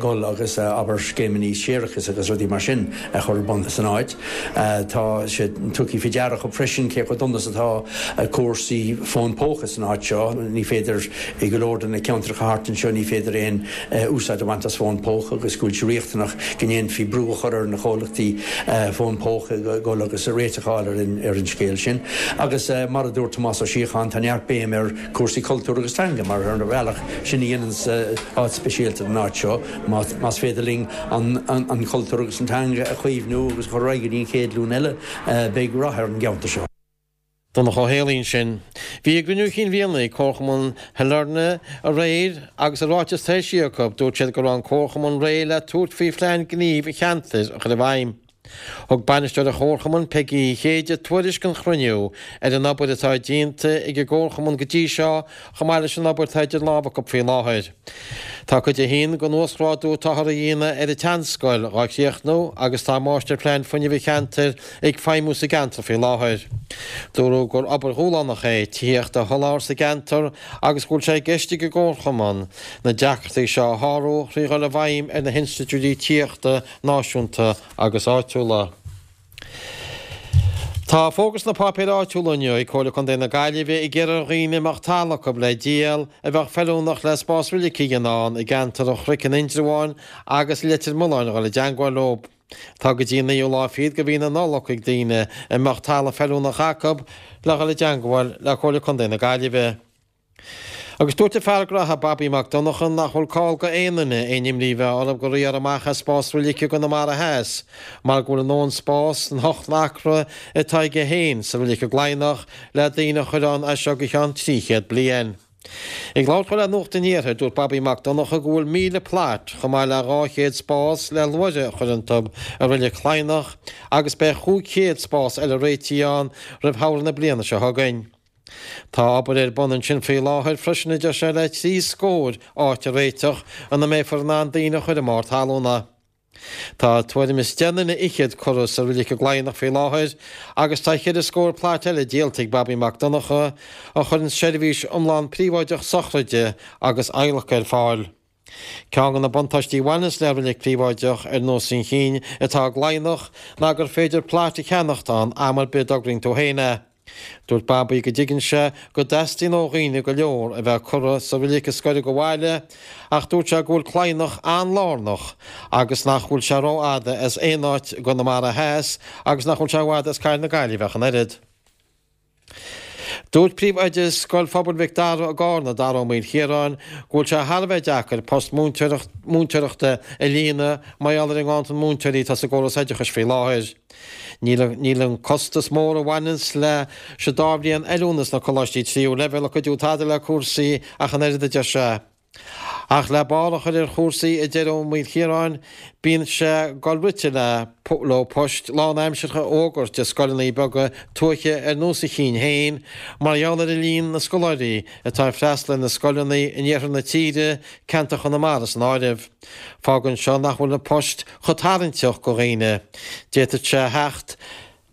dul agus abair scéimeanna séarachais agus rudaí mar sin a chur ar bun san áit. Tá sé tugtha faoi deara acu freisin cé chomh dona is atá cúrsaí fón póca san áit seo. Ní féidir i go leor de na ceantracha thart anseo ní féidir aon úsáid a bhaint as fón póca agus go bhfuil sé riachtanach go ndéanfaí brú a chur ar na comhlachtaí fón póca dul agus réiteach a fháil ar an scéal sin. Agus mar a dúirt Tomás Ó Síocháin, tá neart béim ar chúrsaí cultúir agus teanga mar ar bhealach sin a dhéananns áit speisialta den áit seo. Más féidir linn an cultúr agus an teanga a chaomhnú agus a chur ar aghaidh go dtí an chéad ghlúin eile, beidh rath ar an gceantar seo. Donncha Ó Héalaí ansin. Bhí a gcruinniú cinn bhliana ag Comharchumann Shailearna aréir agus i ráiteas atá eisithe acu, dúirt siad go raibh an Comharchumann réidh le tabhairt faoi phlean gnímh an cheantair a chur i bhfeidhm. Thug bainisteoir an Chomharchumainn, Peigí Uí Chéide, tuairisc an chruinniú ar an obair atá déanta ag an gComharchumann go dtí seo chomh maith leis an obair atá idir lámha acu faoi láthair. Tá cuid a haon den uasghrádú atáthar a dhéanamh ar an tseanscoil dhá chríochnú agus tá Máistirphlean Fuinnimh an Cheantair ag feidhmiú sa gceantar faoi láthair. Dúradh gur obair dhúshlánach é tithíocht a sholáthar sa gceantar agus go bhfuil sé i gceist ag an gComharchumann na deacrachtaí seo a shárú thrí dhul i bhfeidhm ar na hinstitiúidí tithíochta náisiúnta agus áitiúla. Tá fógra sna páipéir áitiúla inniu ag Comhairle Contae na Gaillimhe ag iarraidh ar dhaoine a mbeadh talamh acu le díol a bheadh feiliúnach le spás roilige a dhéanamh ann i gceantar an Chnoic in Indreabhán agus Leitir Mealláin a dhul i dteangmháil leo. Tá go dtí an naoú lá fichead de mhí na Nollag ag daoine a mbeadh talamh feiliúnach acu le dhul i dteangmháil le Comhairle Contae na Gaillimhe. Agus dúirt an fear graithe Babaí Mac Donncha nach bhfuil call go aon duine aon imní a bheith orthu gur iarradh amach as spás roilige i gConamara Theas mar go bhfuil a ndóthain spás san hocht n-acra atá aige féin sa roilig i gCladhnach le daoine a chur ann as seo go ceann trí chéad bliain. Ag labhairt dó le Nuacht an Iarthair, dúirt Babaí Mac Donncha go bhfuil míle plot chomh maith le dhá chéad spás le luaithre a chur iontu i Reilig Chladhnach agus beidh chúig chéad spás eile réitithe ann roimh shamhradh na bliana seo chugainn. Tá obair ar bun ansin faoi láthair freisin a deir sé le trí scór áit a réiteach ina mbeifear in ann daoine a chur i mbarr talúna. Tá tuairim is deich nduine fhichead curtha sa roilig i gCladhnach faoi láthair agus tá ceithre scór plait eile díolta ag Babaí Mac Donncha a chuireann seirbhís iomlán príobháideach sochraide agus adhlactha ar fáil. Ceann de na buntáistí a bhaineanns le roilig príobháideach ar nós an chinn atá i gCladhnach ná gur féidir plait a cheannacht ann am ar bith a dtograíonn tú féin é. Dúirt Babaí go dtuigeann sé go dteastaíonn ó dhaoine go leor a bheith curtha sa roilig a scoireadh go bhaile ach dúirt sé go bhfuil Cladhnach an-lárnach agus nach bhfuil sé rófhada as aon áit i gConamara Theas agus nach bhfuil sé i bhfad as Cathair na Gaillimhe ach an oiread. Dúirt príomhoide Scoil Phobail Mhic Dara i gCarna, Dara Ó Maoilchiaráin, go bhfuil sé thar a bheith deacair post múinteoireachta a líonadh mar gheall ar an nganntan múinteoirí atá sa gcóras oideachais faoi láthair. Níl an costas mór a bhaineanns leis an dá bhliain oiliúna sna coláistí tríú leibhéal ag cuidiú tada le cúrsaí ach an oiread, a deir sé. Ach le barr a chur ar chúrsaí, a deir Ó Maoilchiaráin, bíonn sé ag dul rite leo poist lánaimseartha a fhógairt i scoileanna beaga tuaithe ar nós a chinn féin mar gheall ar líon na scoláirí atá ag freastal ar na scoileanna in iarthar na tíre, ceantar Chonamara san áireamh. Fágann seo nach bhfuil na poist chomh tarraingteach go dhaoine. D'fhéadfadh sé a theacht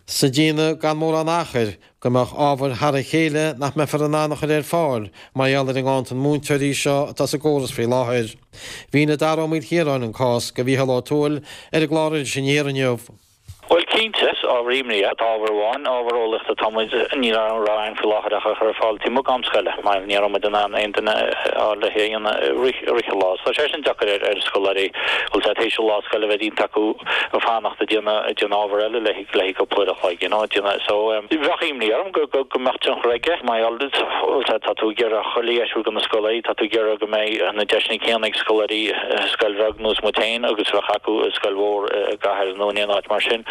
sa déanamh gan mórán achair go mbeadh ábhair thar a chéile nach mbeifear in ann a chur ar fáil mar gheall ar an nganntan múinteoirí seo atá sa gcóras faoi láthair. Mhínigh Dara Ó Maoilchiaráin an cás go Mhícheál Ó Tuathail ar an gclár Iris Aniar inniu. Bhuel, cinnte, is ábhar imní é. Tá ábhar amháin, ábhar eolaíochta, tá muid, ní raibh ann faoi láthair ach a chur ar fáil taobh amuigh d'am scoile, mar ní raibh muid in ann aon duine a fháil le é a dhéanamh i rith, i rith an lá. So tá sé sin deacair ar, ar scoláirí, bhfuil sé tar éis an lá scoile a bheith déanta acu fanacht ag déanamh, ag déanamh ábhar eile le le haghaidh cúpla uair a chloig, you know, ag déanamh, so bheadh imní orm go, go, go mbeadh tionchar aige, mar gheall, bhfuil sé, tá tú ag iarraidh chuile dheis a thabhairt do na scoláirí, tá tú ag iarraidh go mbeidh na deiseanna céanna ag scoláirí i scoil bheag nós muid féin agus a bheadh acu i scoil mhór i gcathair nó in aon áit mar sin.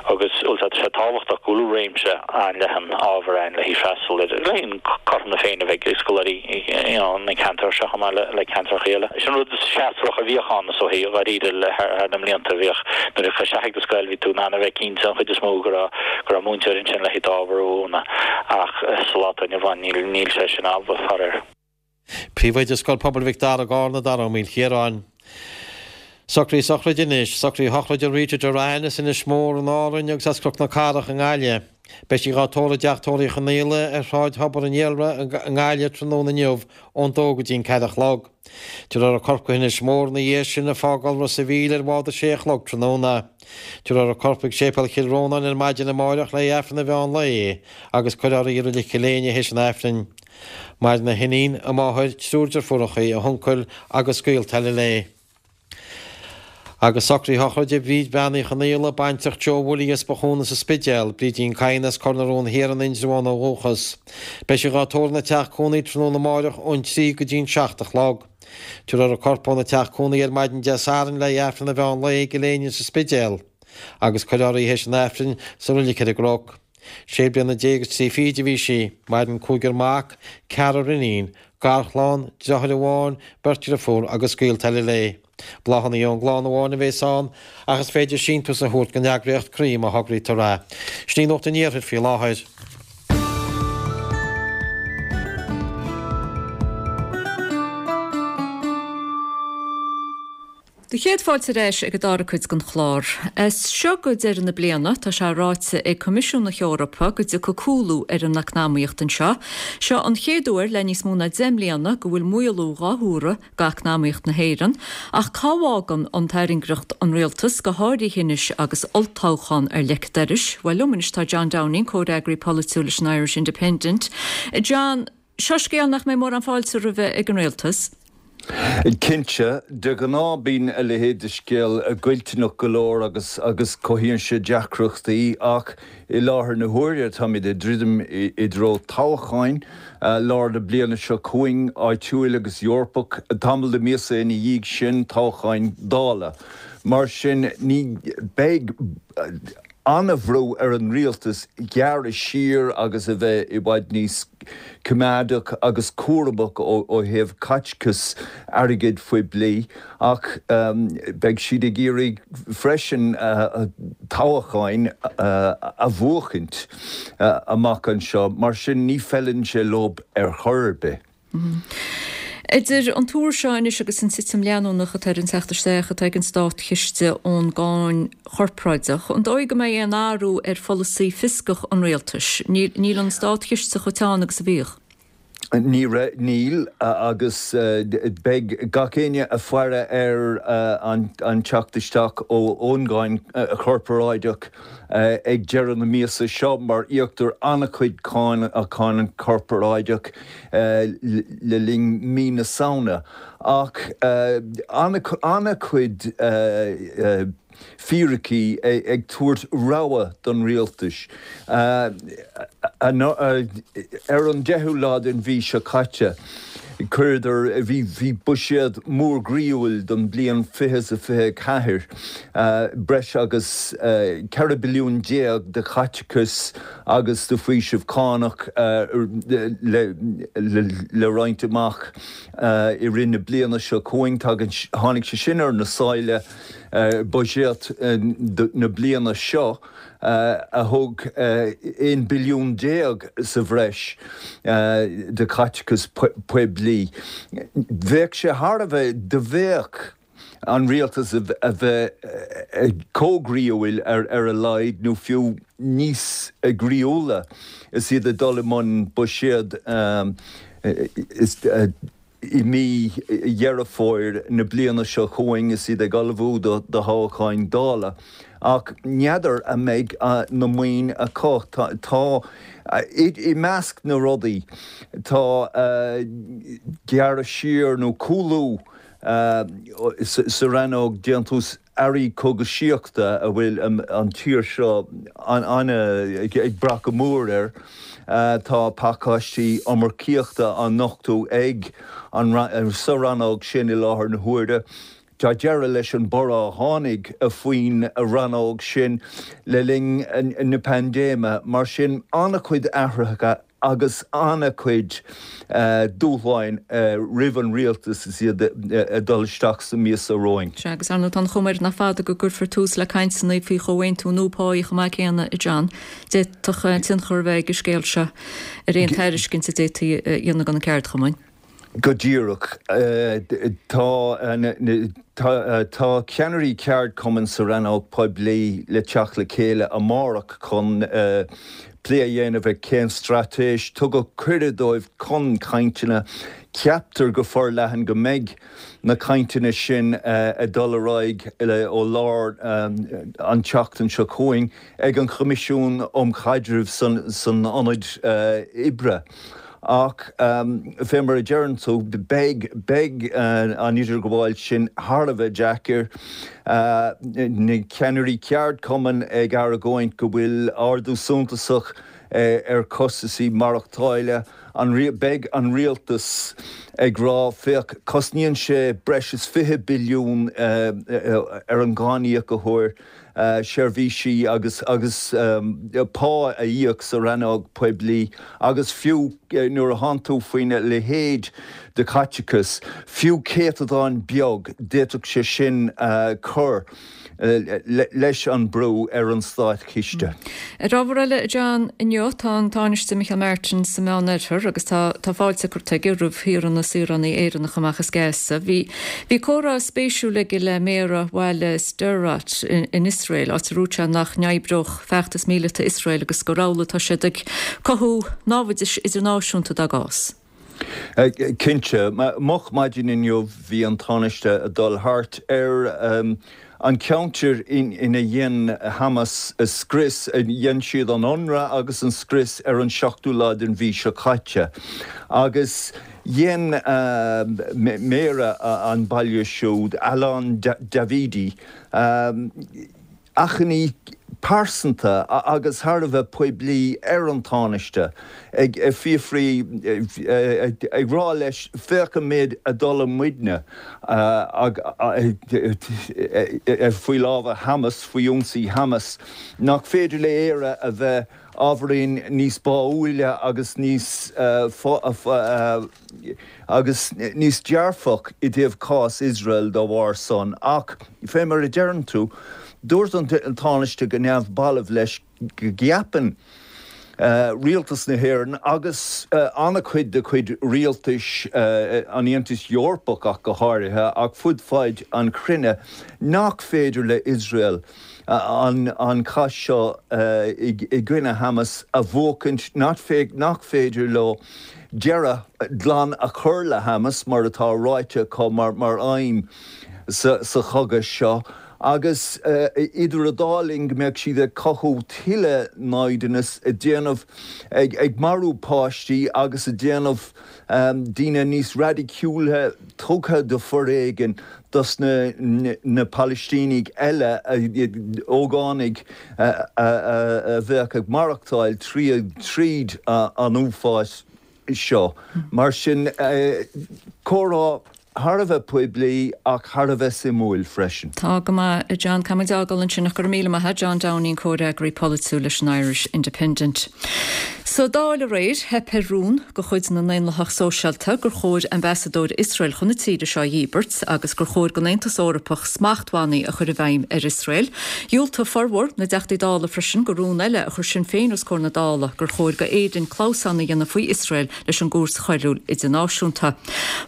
Agus tá sé tábhachtach go bhfuil réimse an-leathan ábhar ann le haghaidh freastal ar le haghaidh cothrom na Féinne a bheith ag scoláirí you know na ceantar seo chomh maith le ceantracha eile. Sin rud séasúrach a bhíodh ann is dóichí dháiríre le thar na mblianta bhíodh nuair a chuaigh isteach ag do scoil bhí tú in ann a bheith cinnte an chuid is mó go raibh go raibh múinteoir ansin le haghaidh d'ábhar a mhúineadh ach sa lá atá inniu ann níl níl sé sin amhlaidh faraor. Príomhoide Scoil Pobail Mhic Dara i gCarna, Dara Ó Maoilchiaráin. Socruithe sochraide anois, socruithe shochraide Rita Doran as Inis Mór in Árainn agus as Cnoc na Cathrach i nGaillimh. Beidh sí dhá tórramh i dteach tórraimh Uí Chonaola ar Shráid Thobar an Iolra i nGaillimh tráthnóna inniu ón dó go dtí an ceathair a chlog. Tabharfar a corp go hInis Mór ina dhiaidh sin ag fágáil Ros a' Mhíl ar bhád a sé a chlog tráthnóna. Tabharfar a corp chuig Séipéal Chill Rónáin ar maidin amáireach le haghaidh Aifreann an mheán lae agus cuirfear í i Reilig Chill Éinne théis an Aifrinn. Maireann a hiníon, a máthair, triúr deirfiúracha, a huncail agus gaolta eile léi. Agus socruithe shochraide Bhríd Bean Uí Chonaola, baintreach Joe Willie as Bothúna sa Spidéal, Brídín Kyne as Cor na Rón Thiar in Indreabhán ó dhúchas. Beidh sí dhá tórramh ina teach cónaí tráthnóna amáireach ón trí go dtí an seacht a chlog. Tabharfar a corp óna teach cónaí ar maidin Dé Sathairn le haghaidh Aifreann an mheán lae i gCill Éinne sa Spidéal agus cuirfear í théis an Aifrinn sa reilig ar an gCnoc. Sé bliana déag agus trí fichid a bhí sí. Maireann cúigear mac, ceathrar iníon, garchlann, deartháir amháin, beirt dheirfiúr agus gaolta eile léi. Bláthanna ón gclann amháin a bhéas ann, ach is féidir síntiús a thabhairt don eagraíocht Croí má thograítear é. Sin í Nuacht an Iarthair faoi láthair. Do chéad fáilte ar ais ag an dara cuid den chlár. As seo go deireadh na bliana, tá sé ráite ag Coimisiún na hEorpa go dtiocfaidh cúlú ar an eacnamaíocht anseo. Seo an chéad uair le níos mó ná deich mbliana go bhfuil maolú dhá thuaradh d'eacnamaíocht na hÉireann. Ach cá bhfágann an tairngreacht an rialtas, go háirithe anois agus olltoghchán ar leic an dorais? Bhuel, liom anois tá John Downing, comhfhreagraí polaitiúil leis an Irish Independent. John, seo scéal nach mbeidh mórán fáilte roimhe ag an rialtas. Cinnte, de ghnáth bíonn a leithéid de scéal goilliúnach go leor agus agus cothaíonn sé deacrachtaí ach i láthair na huaire táimid ag druidim i dtreo toghcháin lár na bliana seo chugainn, áitiúil agus Eorpach, tamall de mhíosa ina dhiaidh sin toghcháin Dála. Mar sin ní beidh an-bhrú ar an rialtas gearradh siar agus a bheith i bhfad níos coimeádach agus cúramach ó thaobh caiteachas airgid phoiblí ach beidh siad ag iarraidh freisin toghcháin a bhuachaint amach anseo. Mar sin ní feileann sé leo ar chor ar bith. Idir an tuar seo anois agus an titim leanúnach atá ar an teacht isteach atá ag an státchiste ón gcáin chorparáideach, an dóigh go mbeidh aon athrú ar pholasaí fioscach an rialtais? Níl an státchiste chomh teann agus a bhíodh. Ní raibh, níl, agus beidh gach éinne ag faire ar an teacht isteach ón gcáin chorparáideach ag deireadh na míosa seo mar íoctar an-chuid cáin, cáin chorparáideach le linn mí na Samhna. Ach an-chuid fíricí ag tabhairt rabhadh don rialtas. Ar an deichiú lá den mhí seo caite, chuireadar, bhí buiséad mór groíúil don bhliain fiche is a fiche a ceathair, breis agus ceithre billiún déag de chaiteachas agus de faoiseamh cánach le roinnt amach i rith na bliana seo chugainn. Tháinig sé sin ar na sáile. Buiséad na bliana seo a thug aon billiún déag sa bhreis de chaiteachas poiblí. Bheadh sé thar a bheith, dá mbeadh an rialtas a bheith chomh groíúil ar a laghad nó fiú níos groíúla is iad ag dul i mbun buiséad I mí Dheireadh Fómhair na bliana seo chugainn is iad ag ullmhú do thoghcháin Dála. Ach n'fheadar an mbeidh na maoin acu. Tá, i measc na rudaí, tá gearradh siar nó cúlú sa rannóg déantús earraí cógaisíochta a bhfuil an tír seo ag brath go mór air. Tá pacáistí iomarcaíochta á nochtadh ag an sa rannóg sin i láthair na huaire. Tá deireadh leis an borradh a tháinig faoin rannóg sin le linn na paindéime. Mar sin, an-chuid athruithe agus an-chuid dúshláin roimh an rialtas is iad ag dul isteach sa mhí seo romhainn. Sea, agus ar ndóigh tá an chuma air nach fada go gcuirfear tús le cainteanna faoi chomhaontú nua páí chomh maith céanna, a John. D'fhéadfadh tionchar a bheith ag an scéal seo ar aon tairiscint a d'fhéadfaí a dhéanamh do na ceardchumainn. Go díreach. Tá tá ceannairí ceardchumann sa rannóg poiblí le teacht le chéile amárach chun plé a dhéanamh ar cén straitéis. Tugadh cuireadh dóibh chun cainteanna. Ceaptar go forleathan go mbeidh na cainteanna sin ag dul ar aghaidh ó lár an tseachtain seo chugainn ag an Choimisiún um Chaidreamh san Ionad Oibre. Ach fé mar a deireann tú, beidh, beidh an idirghabháil sin thar a bheith deacair. Na ceannairí ceardchumainn ag argóint go bhfuil ardú suntasach ar chostasaí maireachtála. An, beidh an rialtas ag rá, féach, cosnaíonn sé breis is fiche billiún ar an gcáiníocóir seirbhísí agus agus pá a íoc sa rannóg poiblí agus fiú nuair a thánn tú faoina leithéid de chaiteachas, fiú céatadán beag, d'fhéadfadh sé sin cur leis an brú ar an státchiste. Ar ábhar eile, a John, inniu tá an Tánaiste Micheál Martin sa Meánoirthear agus tá tá fáilte curtha aige roimh shaoradh na saoránaí Éireannacha amach as Gaza. Bhí bhí comhrá spéisiúil aige le méara bhaile Sderot in, in Iosrael, áit a ndúirt sé nach n-oibreodh feachtas míleata Iosrael agus gur amhlaidh atá siad ag cothú námhaidis idirnáisiúnta dá gcás. Cinnte. Moch maidin inniu bhí an Tánaiste ag dul thart ar an ceantar ina dhein Hamas scrios, dhein siad an ionradh agus an scrios ar an seachtú lá den mhí seo caite. Agus dhein méara an bhaile siúd, Alon Davidi, achainí pearsanta agus thar a bheith poiblí ar an Tánaiste, ag fiafraí, ag rá leis, féach an méid a d'fhulaing muidne faoi lámha Hamas, faoi ionsaí Hamas, nach féidir le Éire a bheith ábhairín níos báúile agus níos agus níos dearfach i dtaobh cás Iosrael dá bharr san. Ach, fé mar a deireann tú, dúirt an Tánaiste go neamhbalbh leis go gceapann rialtas na hÉireann agus an-chuid de chuid rialtais an Aontais Eorpach ach go háirithe, ach fud fad an chruinne, nach féidir le Iosrael an cath seo i gcoinne Hamas a bhuachaint, nach féidir leo deireadh glan a chur le Hamas mar atá ráite acu mar aidhm sa chogadh seo, agus idir an dá linn go mbeadh siad ag cothú tuilleadh naimhdeanas, ag déanamh, ag marú páistí agus ag déanamh daoine níos raidiciúla tugtha do foréigean dos na na Palaistínigh eile, ógánaigh a bheadh ag maireachtáil tríd an uafás seo. Mar sin, comhrá thar a bheith poiblí ach thar a bheith suimiúil freisin. Tá go maith, a John. Caithfidh muid é a fhágáil ansin ach go raibh míle maith agat, John Downing, comhfhreagraí polaitiúil leis an Irish Independent. Sa Dáil aréir, theip ar rún de chuid na nDaonlathach Sóisialta gur chóir ambasadóir Iosrael chun na tíre seo a dhíbirt agus gur chóir don Aontas Eorpach smachtbhannaí a chur i bhfeidhm ar Iosrael. Dhiúltaigh formhór na dTeachtaí Dála freisin do rún eile a chuir Sinn Féin os comhair na Dála gur chóir do Éirinn clamhsán a dhéanamh faoi Iosrael leis an gCúirt Choiriúil Idirnáisiúnta.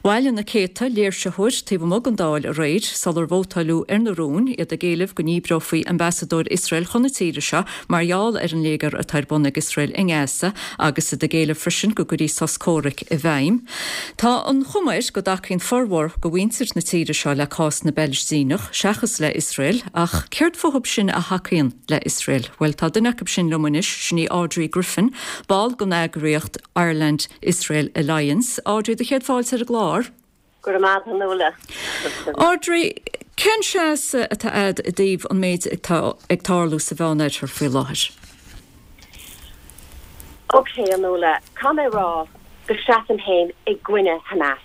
Bhailigh na céadta léirsitheoir taobh amuigh den Dáil aréir sular vótáileadh ar na rúin, iad ag éileamh go ndíbreofaí ambasadóir Iosrael chun na tíre seo mar gheall ar an léigear atá ar bun ag Iosrael i nGaza agus iad ag éileamh freisin go gcuirfí sos comhraic i bhfeidhm. Tá an chuma air go dtacaíonn formhór de mhuintir na tíre seo le cás na bPalaistíneach seachas le Iosrael, ach céard fúthu sin a thacaíonn le Iosrael? Bhuel, tá duine acu sin liom anois, sin í Audrey Griffin, ball den eagraíocht Ireland Israel Alliance. Audrey, do chéad fáilte ar an gclár. Go raibh maith agat, a Nuala. Audrey, cén seasamh atá agat i dtaobh an méid atá ag tarlú sa Mheánoirthear faoi láthair? Ok, a Nuala, caithfidh mé a rá go seasaim féin i gcoinne Hamas.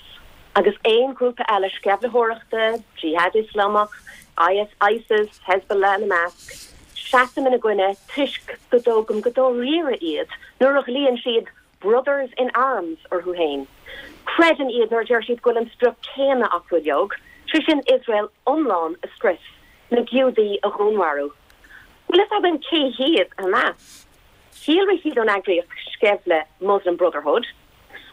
Agus aon ghrúpa eile sceimhlitheoireachta, Jihad Ioslamach, IS, ISIS, Hezbollah ina measc, seasaim ina gcoinne toisc go dtógaim go dáiríre iad nuair a ghlaonn siad 'brothers in arms' orthu féin. Creidim iad nuair a deir siad go bhfuil an sprioc céanna acu uilig, sé sin Iosrael iomlán a scrios, na Giúdaigh a dhúnmharú. Bhfuil fhios againn cé hiad Hamas? Shíolraigh siad ón eagraíocht sceimhle Muslim Brotherhood,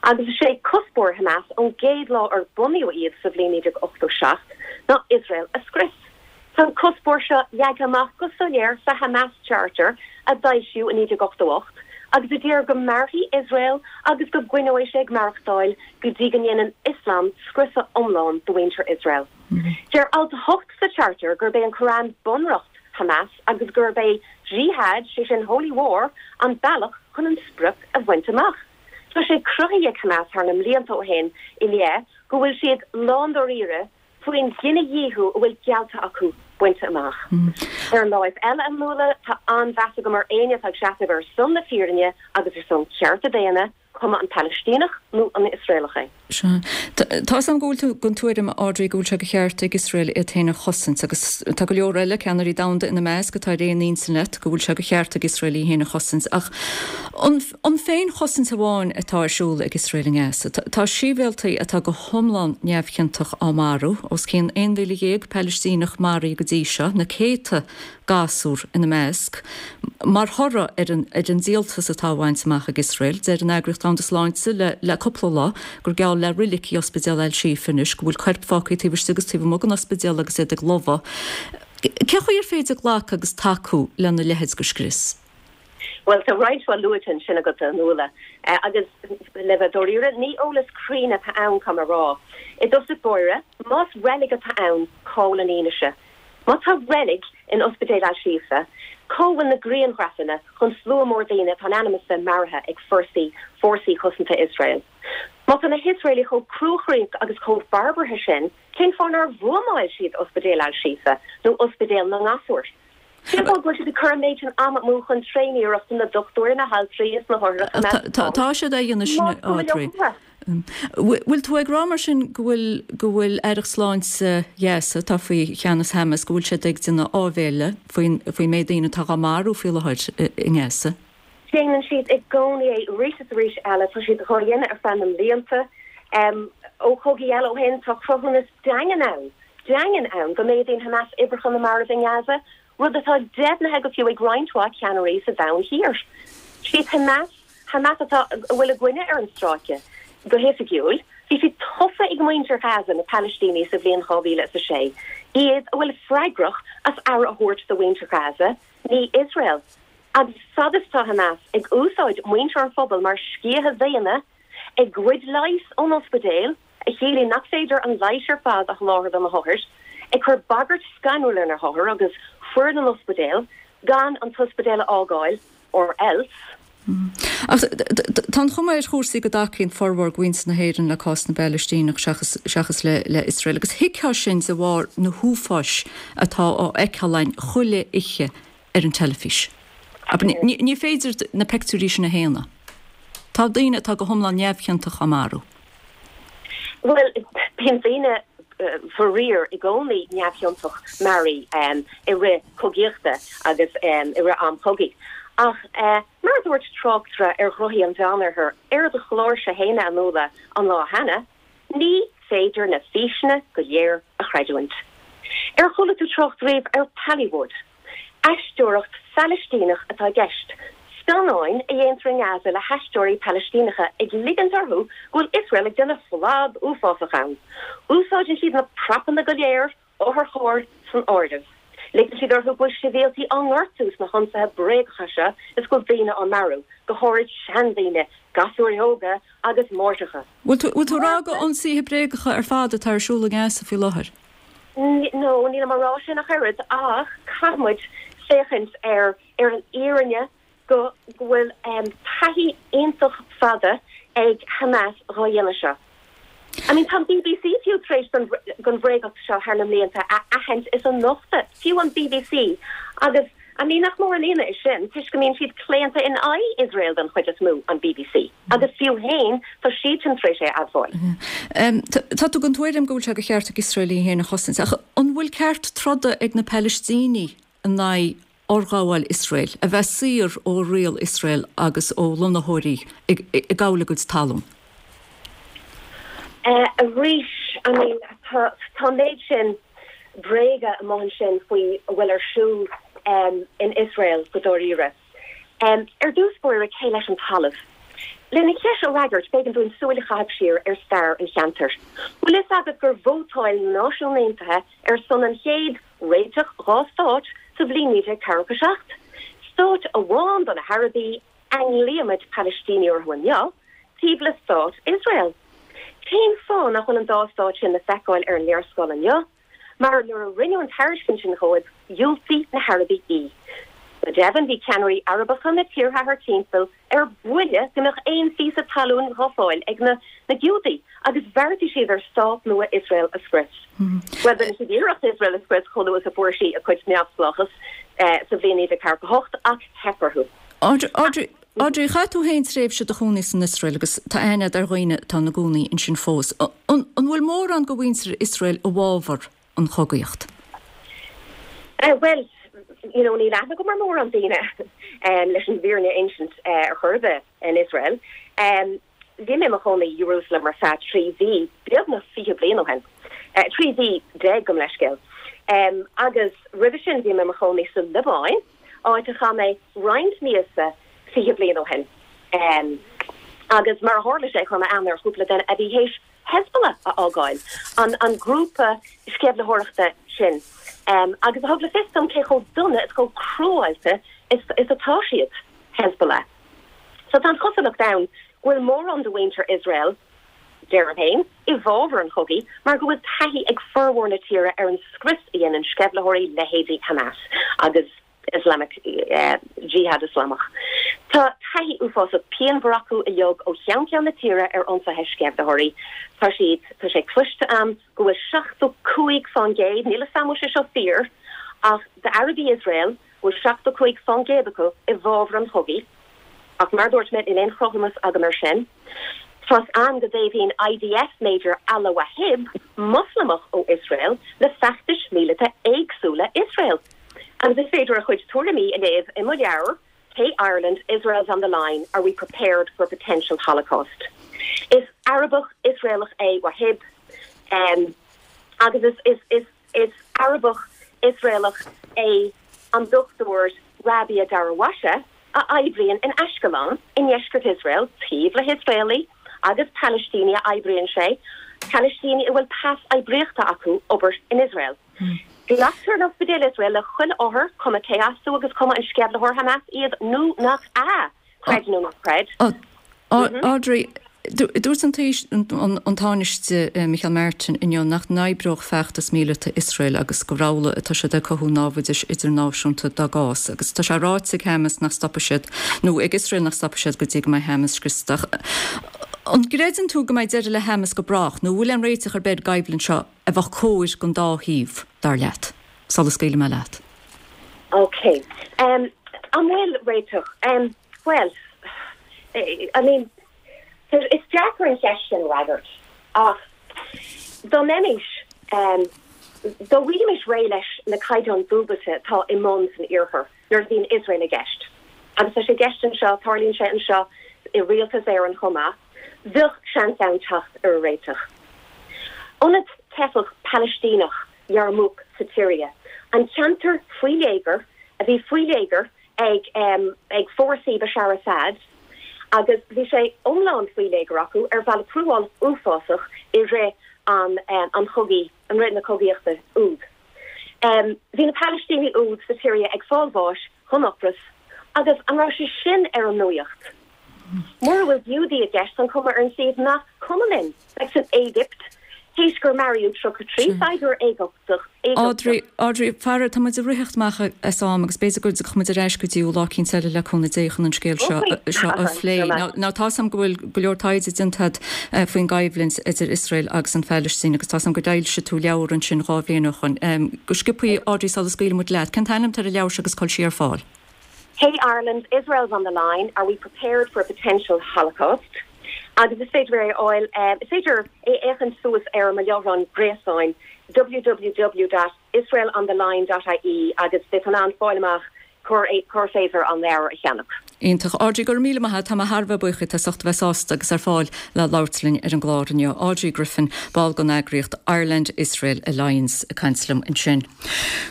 agus is é cuspóir Hamas ón gcéad lá ar bunaíodh iad sa bhliain naoi déag ochtó seacht ná Iosrael a scrios. Tá an cuspóir seo leagtha amach go soiléir sa Hamas Charter a d'fhoilsíodh i naoi déag ochtó ocht agus a deir go mairfidh Iosrael agus go gcoinneoidh sé ag maireachtáil go dtí go ndéanann Ioslam scriosadh iomlán de mhuintir Iosrael. Deir alt a hocht sa Charter gurb é an Koran bunreacht Hamas agus gurb é Jihad, sé sin Holy War, an bealach chun an sprioc a bhaint amach. Tá sé cruthaithe ag Hamas thar na mblianta ó shin i leith go bhfuil siad lándáiríre faoin gcinedhíothú a bhfuil geallta acu bainte amach. Ar an láimh eile, a Nuala, tá an-mheas agam ar éinne atá ag seasamh ar son na fírinne agus ar son cearta daonna, cuma an Palaistíneach nó an Iosraelach é. Sea. Tá 'fhios a'm go bhfuil tú den tuairim, Audrey, go bhfuil sé de cheart ag Iosrael iad féin a chosaint agus tá go leor eile, ceannairí domhanda ina measc, atá ar aon intinn leat go bhfuil sé de cheart ag Iosrael í féin a chosaint. Ach an an féinchosaint amháin atá ar siúl ag Iosrael i nGaza? Tá sibhialtaigh atá go hiomlán neamhchiontach á marú, os cionn aon mhíle dhéag Palaistíneach maraithe go dtí seo, na céadta gasúr ina measc. Mar thoradh ar an ar an díoltas atá á bhaint amach ag Iosrael, deir an Eagraíocht Domhanda Sláinte le le cúpla lá gur geall le roilig í Ospidéal Al-Shifa anois, go bhfuil coirp fágtha taobh istigh agus taobh amuigh den ospidéal agus iad ag lobhadh. Cén chaoi ar féidir glacadh agus tacú lena leithéid de scrios? Bhuel, tá roinnt mhaith luaite ansin agat, a Nuala, agus le bheith dáiríre, ní eolas cruinn atá ann, caithfidh mé a rá. I dtosach báire, más reilig atá ann, cá bhfuil an fhianaise? Má tá reilig in Ospidéal Al-Shifa, cá bhfuil na grianghrafanna chun slua mór daoine atá in ainm is bheith maraithe ag forsaí Fórsaí Cosanta Iosrael? Má tá na hIosraelaigh chomh cruachroíoch agus chomh barbartha sin, cén fáth nár bhuamáil siad Ospidéal Al-Shifa nó ospidéal na ngasúr? Cén fáth go bhfuil siad ag cur an méid sin ama amú chun tréaniarracht na dochtúirí, na haltraí is na hothair a choimeád Tá siad á dhéanamh sin, Más cuma leo Audrey. fúthu. Bhfuil tú ag rá mar sin go bhfuil go bhfuil Aireacht Sláinte Ghaza, atá faoi cheannas Hamas, go bhfuil siad ag déanamh áibhéile faoin faoin méid daoine atá á marú faoi láthair i nGaza? Déanann siad i gcónaí é arís is arís eile. Tá siad dhá dhéanamh ar feadh na mblianta. Ó chogaí eile ó shin, tá cruthúnas daingean ann, daingean ann, go méadaíonn Hamas uimhreacha na marbh i nGaza, rud atá deimhnithe go fiú ag roinnt mhaith ceannairí sa domhan thiar. Siad Hamas, Hamas atá, a bhfuil a gcoinne ar an stráice go hoifigiúil, bhí siad tofa ag muintir Ghaza, na Palaistínigh, sa bhliain dhá mhíle is a sé, iad a bhfuil freagrach as aire a thabhairt do mhuintir Ghaza, ní Iosrael. Agus fad is atá Hamas ag úsáid muintir an phobail mar sciatha daonna, ag goid leighis ón ospidéal, a chiallaíonn nach féidir an leigheas ar fad a sholáthar do na hothair, ag cur bagairt scanrúil ar na hothair agus foireann an ospidéil gan an t-ospidéal a fhágáil, or else. Ach tá an chuma ar chúrsaí go dtacaíonn formhór de mhuintir na hÉireann le cás na bPalaistíneach seachas seachas le le Iosrael agus thuigfeá sin de bharr na huafáis atá á fheiceáil againn chuile oíche ar an teilifís. Ní ní féidir na pictiúirí sin a shéanadh. Tá daoine atá go hiomlán neamhchiontach á marú. Bhuel, bíonn daoine faraor i gcónaí neamhchiontach maraithe i rith cogaíochta agus i rith am chogaidh. Ach mar a dúirt tráchtaire ar Ghothaí an Mheánoirthir ar do chlársa féin, a Nuala, an lá cheana, ní féidir na físeanna go léir a chreidiúint. Ar chuala tú trácht riamh ar Pallywood? Aisteoireacht Phalaistíneach atá i gceist, scannáin a dhéantar i nGaza le haisteoirí Palaistíneacha ag ligint orthu go bhfuil Iosrael ag déanamh flad uafásach ann. Úsáideann siad na prapanna go léir, otharchairr san áireamh. Ligeann siad orthu go bhfuil sibhialtaigh á ngortú sna hionsaithe bréagacha seo is go bhfuil daoine á marú, go háirid seandaoine, gasúir óga agus máithreacha. Bhfuil tú ag rá gur ionsaithe bréagacha ar fad atá ar siúl i nGaza faoi láthair? No, nílim á rá sin ach oiread, ach caithfidh muid féachaint ar ar an fhírinne go go bhfuil taithí iontach fada ag Hamas dhá dhéanamh seo. I mean tá an bbc fiú tar éis don bhréagacht seo thar na mblianta a aithint is a nochtadh, fiú an bbc, agus I mean, nach mór an ionadh é sin, toisc go mbíonn siad claonta in aghaidh Iosrael den chuid is mó, an bbc. Agus fiú féin, tá siadsan tar éis é a admháil. Tá tú den tuairim go bhfuil sé de cheart ag Iosrael í féin a chosaint, ach an bhfuil ceart troda ag na Palaistínigh in aghaidh fhorghabháil Iosrael, a bheith saor ó riail Iosrael agus ó lonnaitheoirí ag gabháil a gcuid talún? Arís, I mean, tá an méid sin bréaga amuigh ansin faoi a bhfuil ar siúl in Iosrael go dáiríre. Ar dtús báire, cé leis an talamh? Lena cheist a fhreagairt, b'éigean dúinn súil a chaitheamh siar ar stair an cheantair. Bhfuil fhios agat gur vótáil na Náisiúin Aontaithe ar son an chéad réiteach dhá stát sa bhliain naoi déag ceathracha seacht? Stát amháin do na hArabaigh, a nglaoimid Palaistínigh orthu inniu, taobh le stát Iosrael. Cén fáth nach bhfuil an dá stát sin le feiceáil ar an léarscáil inniu? Mar nuair a rinneadh an tairiscint sin dhóibh, dhiúltaigh na hArabaigh í. Go deimhin, bhí ceannairí Arabacha na tíortha thart timpeall ar buile go mbeadh aon phíosa talún dhá fáil ag na na Giúdaigh agus bheartaigh siad ar stát nua Iosrael a scrios. Bhuel, rinne siad iarracht Iosrael a scrios chomh luath is a fuair sí a cuid neamhspleáchas sa bhliain naoi déag ceathracha hocht ach theip orthu. Audrey, Audrey, chaith tú féin tréimhse i do chónaí san Iosrael agus tá aithne agat ar dhaoine atá ina gcónaí ansin fós. An bhfuil mórán de mhuintir Iosrael i bhfabhar an chogaíocht? Bhuel, you know, níl aithne agam ar mórán daoine leis an bhfírinne a insint ar chor ar bith in Iosrael. Bhí mé i mo chónaí i Jerusalem ar feadh trí mhí, beagnach fiche bliain ó shin. Trí mhí déag, gabh mo leithscéal. Agus roimhe sin bhí mé i mo chónaí sa Liobáin, áit a chaith mé roinnt míosa fiche bliain ó shin. Agus mar a tharla sé, chuir mé aithne ar chúpla duine a bhí théis Hezbollah a fhágáil, an an grúpa sceimhlitheoireachta sin, agus a thug le fios dom cé chomh dona is chomh cruálta is is atá siad, Hezbollah. So tá an chosúlacht ann go bhfuil mórán de mhuintir Iosrael, deirim féin, i bhfabhar an chogaidh mar go bhfuil taithí ag formhór na tíre ar an scrios a dhéanann sceimhlitheoirí leithéidí Hamas agus Islamic Jihad Ioslamach. Tá taithí uafásach pianmhar acu uilig ó cheann ceann na tíre ar ionsaithe sceimhlitheoirí. Tá siad, tá sé cloiste a'm go bhfuil seachtó cúig fán gcéad, níl 'fhios a'm an bhfuil sé seo fíor, ach d'Arabaigh Iosrael, go bhfuil seachtó cúig fán gcéad acu i bhfabhar an chogaidh. Ach mar a dúirt mé, níl aon chruthúnas agam ar sin. Tá's a'm go dtaobhaíonn IDF Major Ala Wahib, Moslamach ó Iosrael, le feachtais míleata éagsúla Iosrael. Agus is féidir a chuid tuairimí a léamh i mo leabhar, Hey Ireland, Israel's on the Line, Are We Prepared for a Potential Holocaust? Is Arabach Iosraelach é Wahib, agus is, is, is, is Arabach Iosraelach é an Dochtúir Rabia Darawasha, a oibríonn in Ashkelon i ndeisceart Iosrael, taobh le hIosraelaigh agus Palaistínigh a oibríonn sé, Palaistínigh a bhfuil pas oibríochta acu obair in Iosrael. Glactar in ospidéil Iosrael le chuile othar, cuma cé as dó agus cuma an sceimhlitheoir Hamas iad nó nach ea, creid nó ná creid. Audrey, dúirt an an Tánaiste Micheál Martin inniu nach n-oibreodh feachtas míleata Iosrael agus gur amhlaidh atá siad ag cothú námhaidis idirnáisiúnta dá gcás agus tá sé ráite ag Hamas nach stopfaidh siad nó ag Iosrael nach stopfaidh siad go dtí go mbeidh Hamas scriosta. An gcreideann tú go mbeidh deireadh le Hamas go brách nó bhfuil aon réiteach ar bith ar an gcoimhlint seo a bheadh cóir don dá thaobh, dar leat? Sula scaoilfidh mé leat. Ok. Um, an bhfuil réiteach? Um, bhuel, I mean, is deacair an cheist sin a fhreagairt, ach dá mbeimis, um, dá bhfaighfimis réidh leis na caighdeáin dúbailte atá i mbun san Iarthar nuair a bhíonn Iosrael i gceist, agus tá sé i gceist anseo, tarlaíonn sé anseo i Rialtas Éireann chomh maith, bheadh seans ann teacht ar réiteach. Ionad teifeach Palaistíneach Yarmouk sa tSiria, an ceantar faoi léigear a bhí faoi léigear ag ag fórsaí Bashar Assad agus bhí sé iomlán faoi léigear acu ar bhealach cruálach uafásach i rith an an chogaidh, i rith na cogaíochta úd. Bhí na Palaistínigh úd sa tSiria ag fáil bháis den ocras agus an raibh sé sin ar an nuaíocht? Mura bhfuil Giúdaigh i gceist, an cuma ar an suíomh nach cuma linn? Like san Éigipt, Théis gur maraíodh tríocha trí saighdiúir Éigipteach. Audrey, Audrey, faraor, tá muid ag ritheacht amach as am agus b'fhéidir go dtiocfaidh muid ar ais go dtí lá eicínt eile le cúnamh Dé chun an scéal seo seo a phlé. Now tá 's agam go bhfuil go leor taighde déanta agat faoin gcoimhlint idir Iosrael agus an Phalaistín agus tá 's agam gur d'fhoilsigh tú leabhar ansin dhá bhliain ó shoin. Go sciobtha, Audrey, sula scaoilfidh muid leat, cén t-ainm atá ar an leabhar seo agus cá bhfuil sí ar fáil? Hey Ireland, Israel's on the line, are we prepared for a potential Holocaust? Agus is féidir é a fháil, is féidir é a fhéachaint suas ar mo láithreán gréasáin www dot israelontheline dot ie agus beidh tú in ann fáil amach cár cár féidir an leabhar a cheannach. Iontach. Audrey, go raibh míle maith agat. Tá mé thar a bheith buíoch díot as ucht a bheith sásta agus ar fáil le labhairt linn ar an gclár inniu. Audrey Griffin, ball den eagraíocht Ireland Israel Alliance ag caint liom ansin.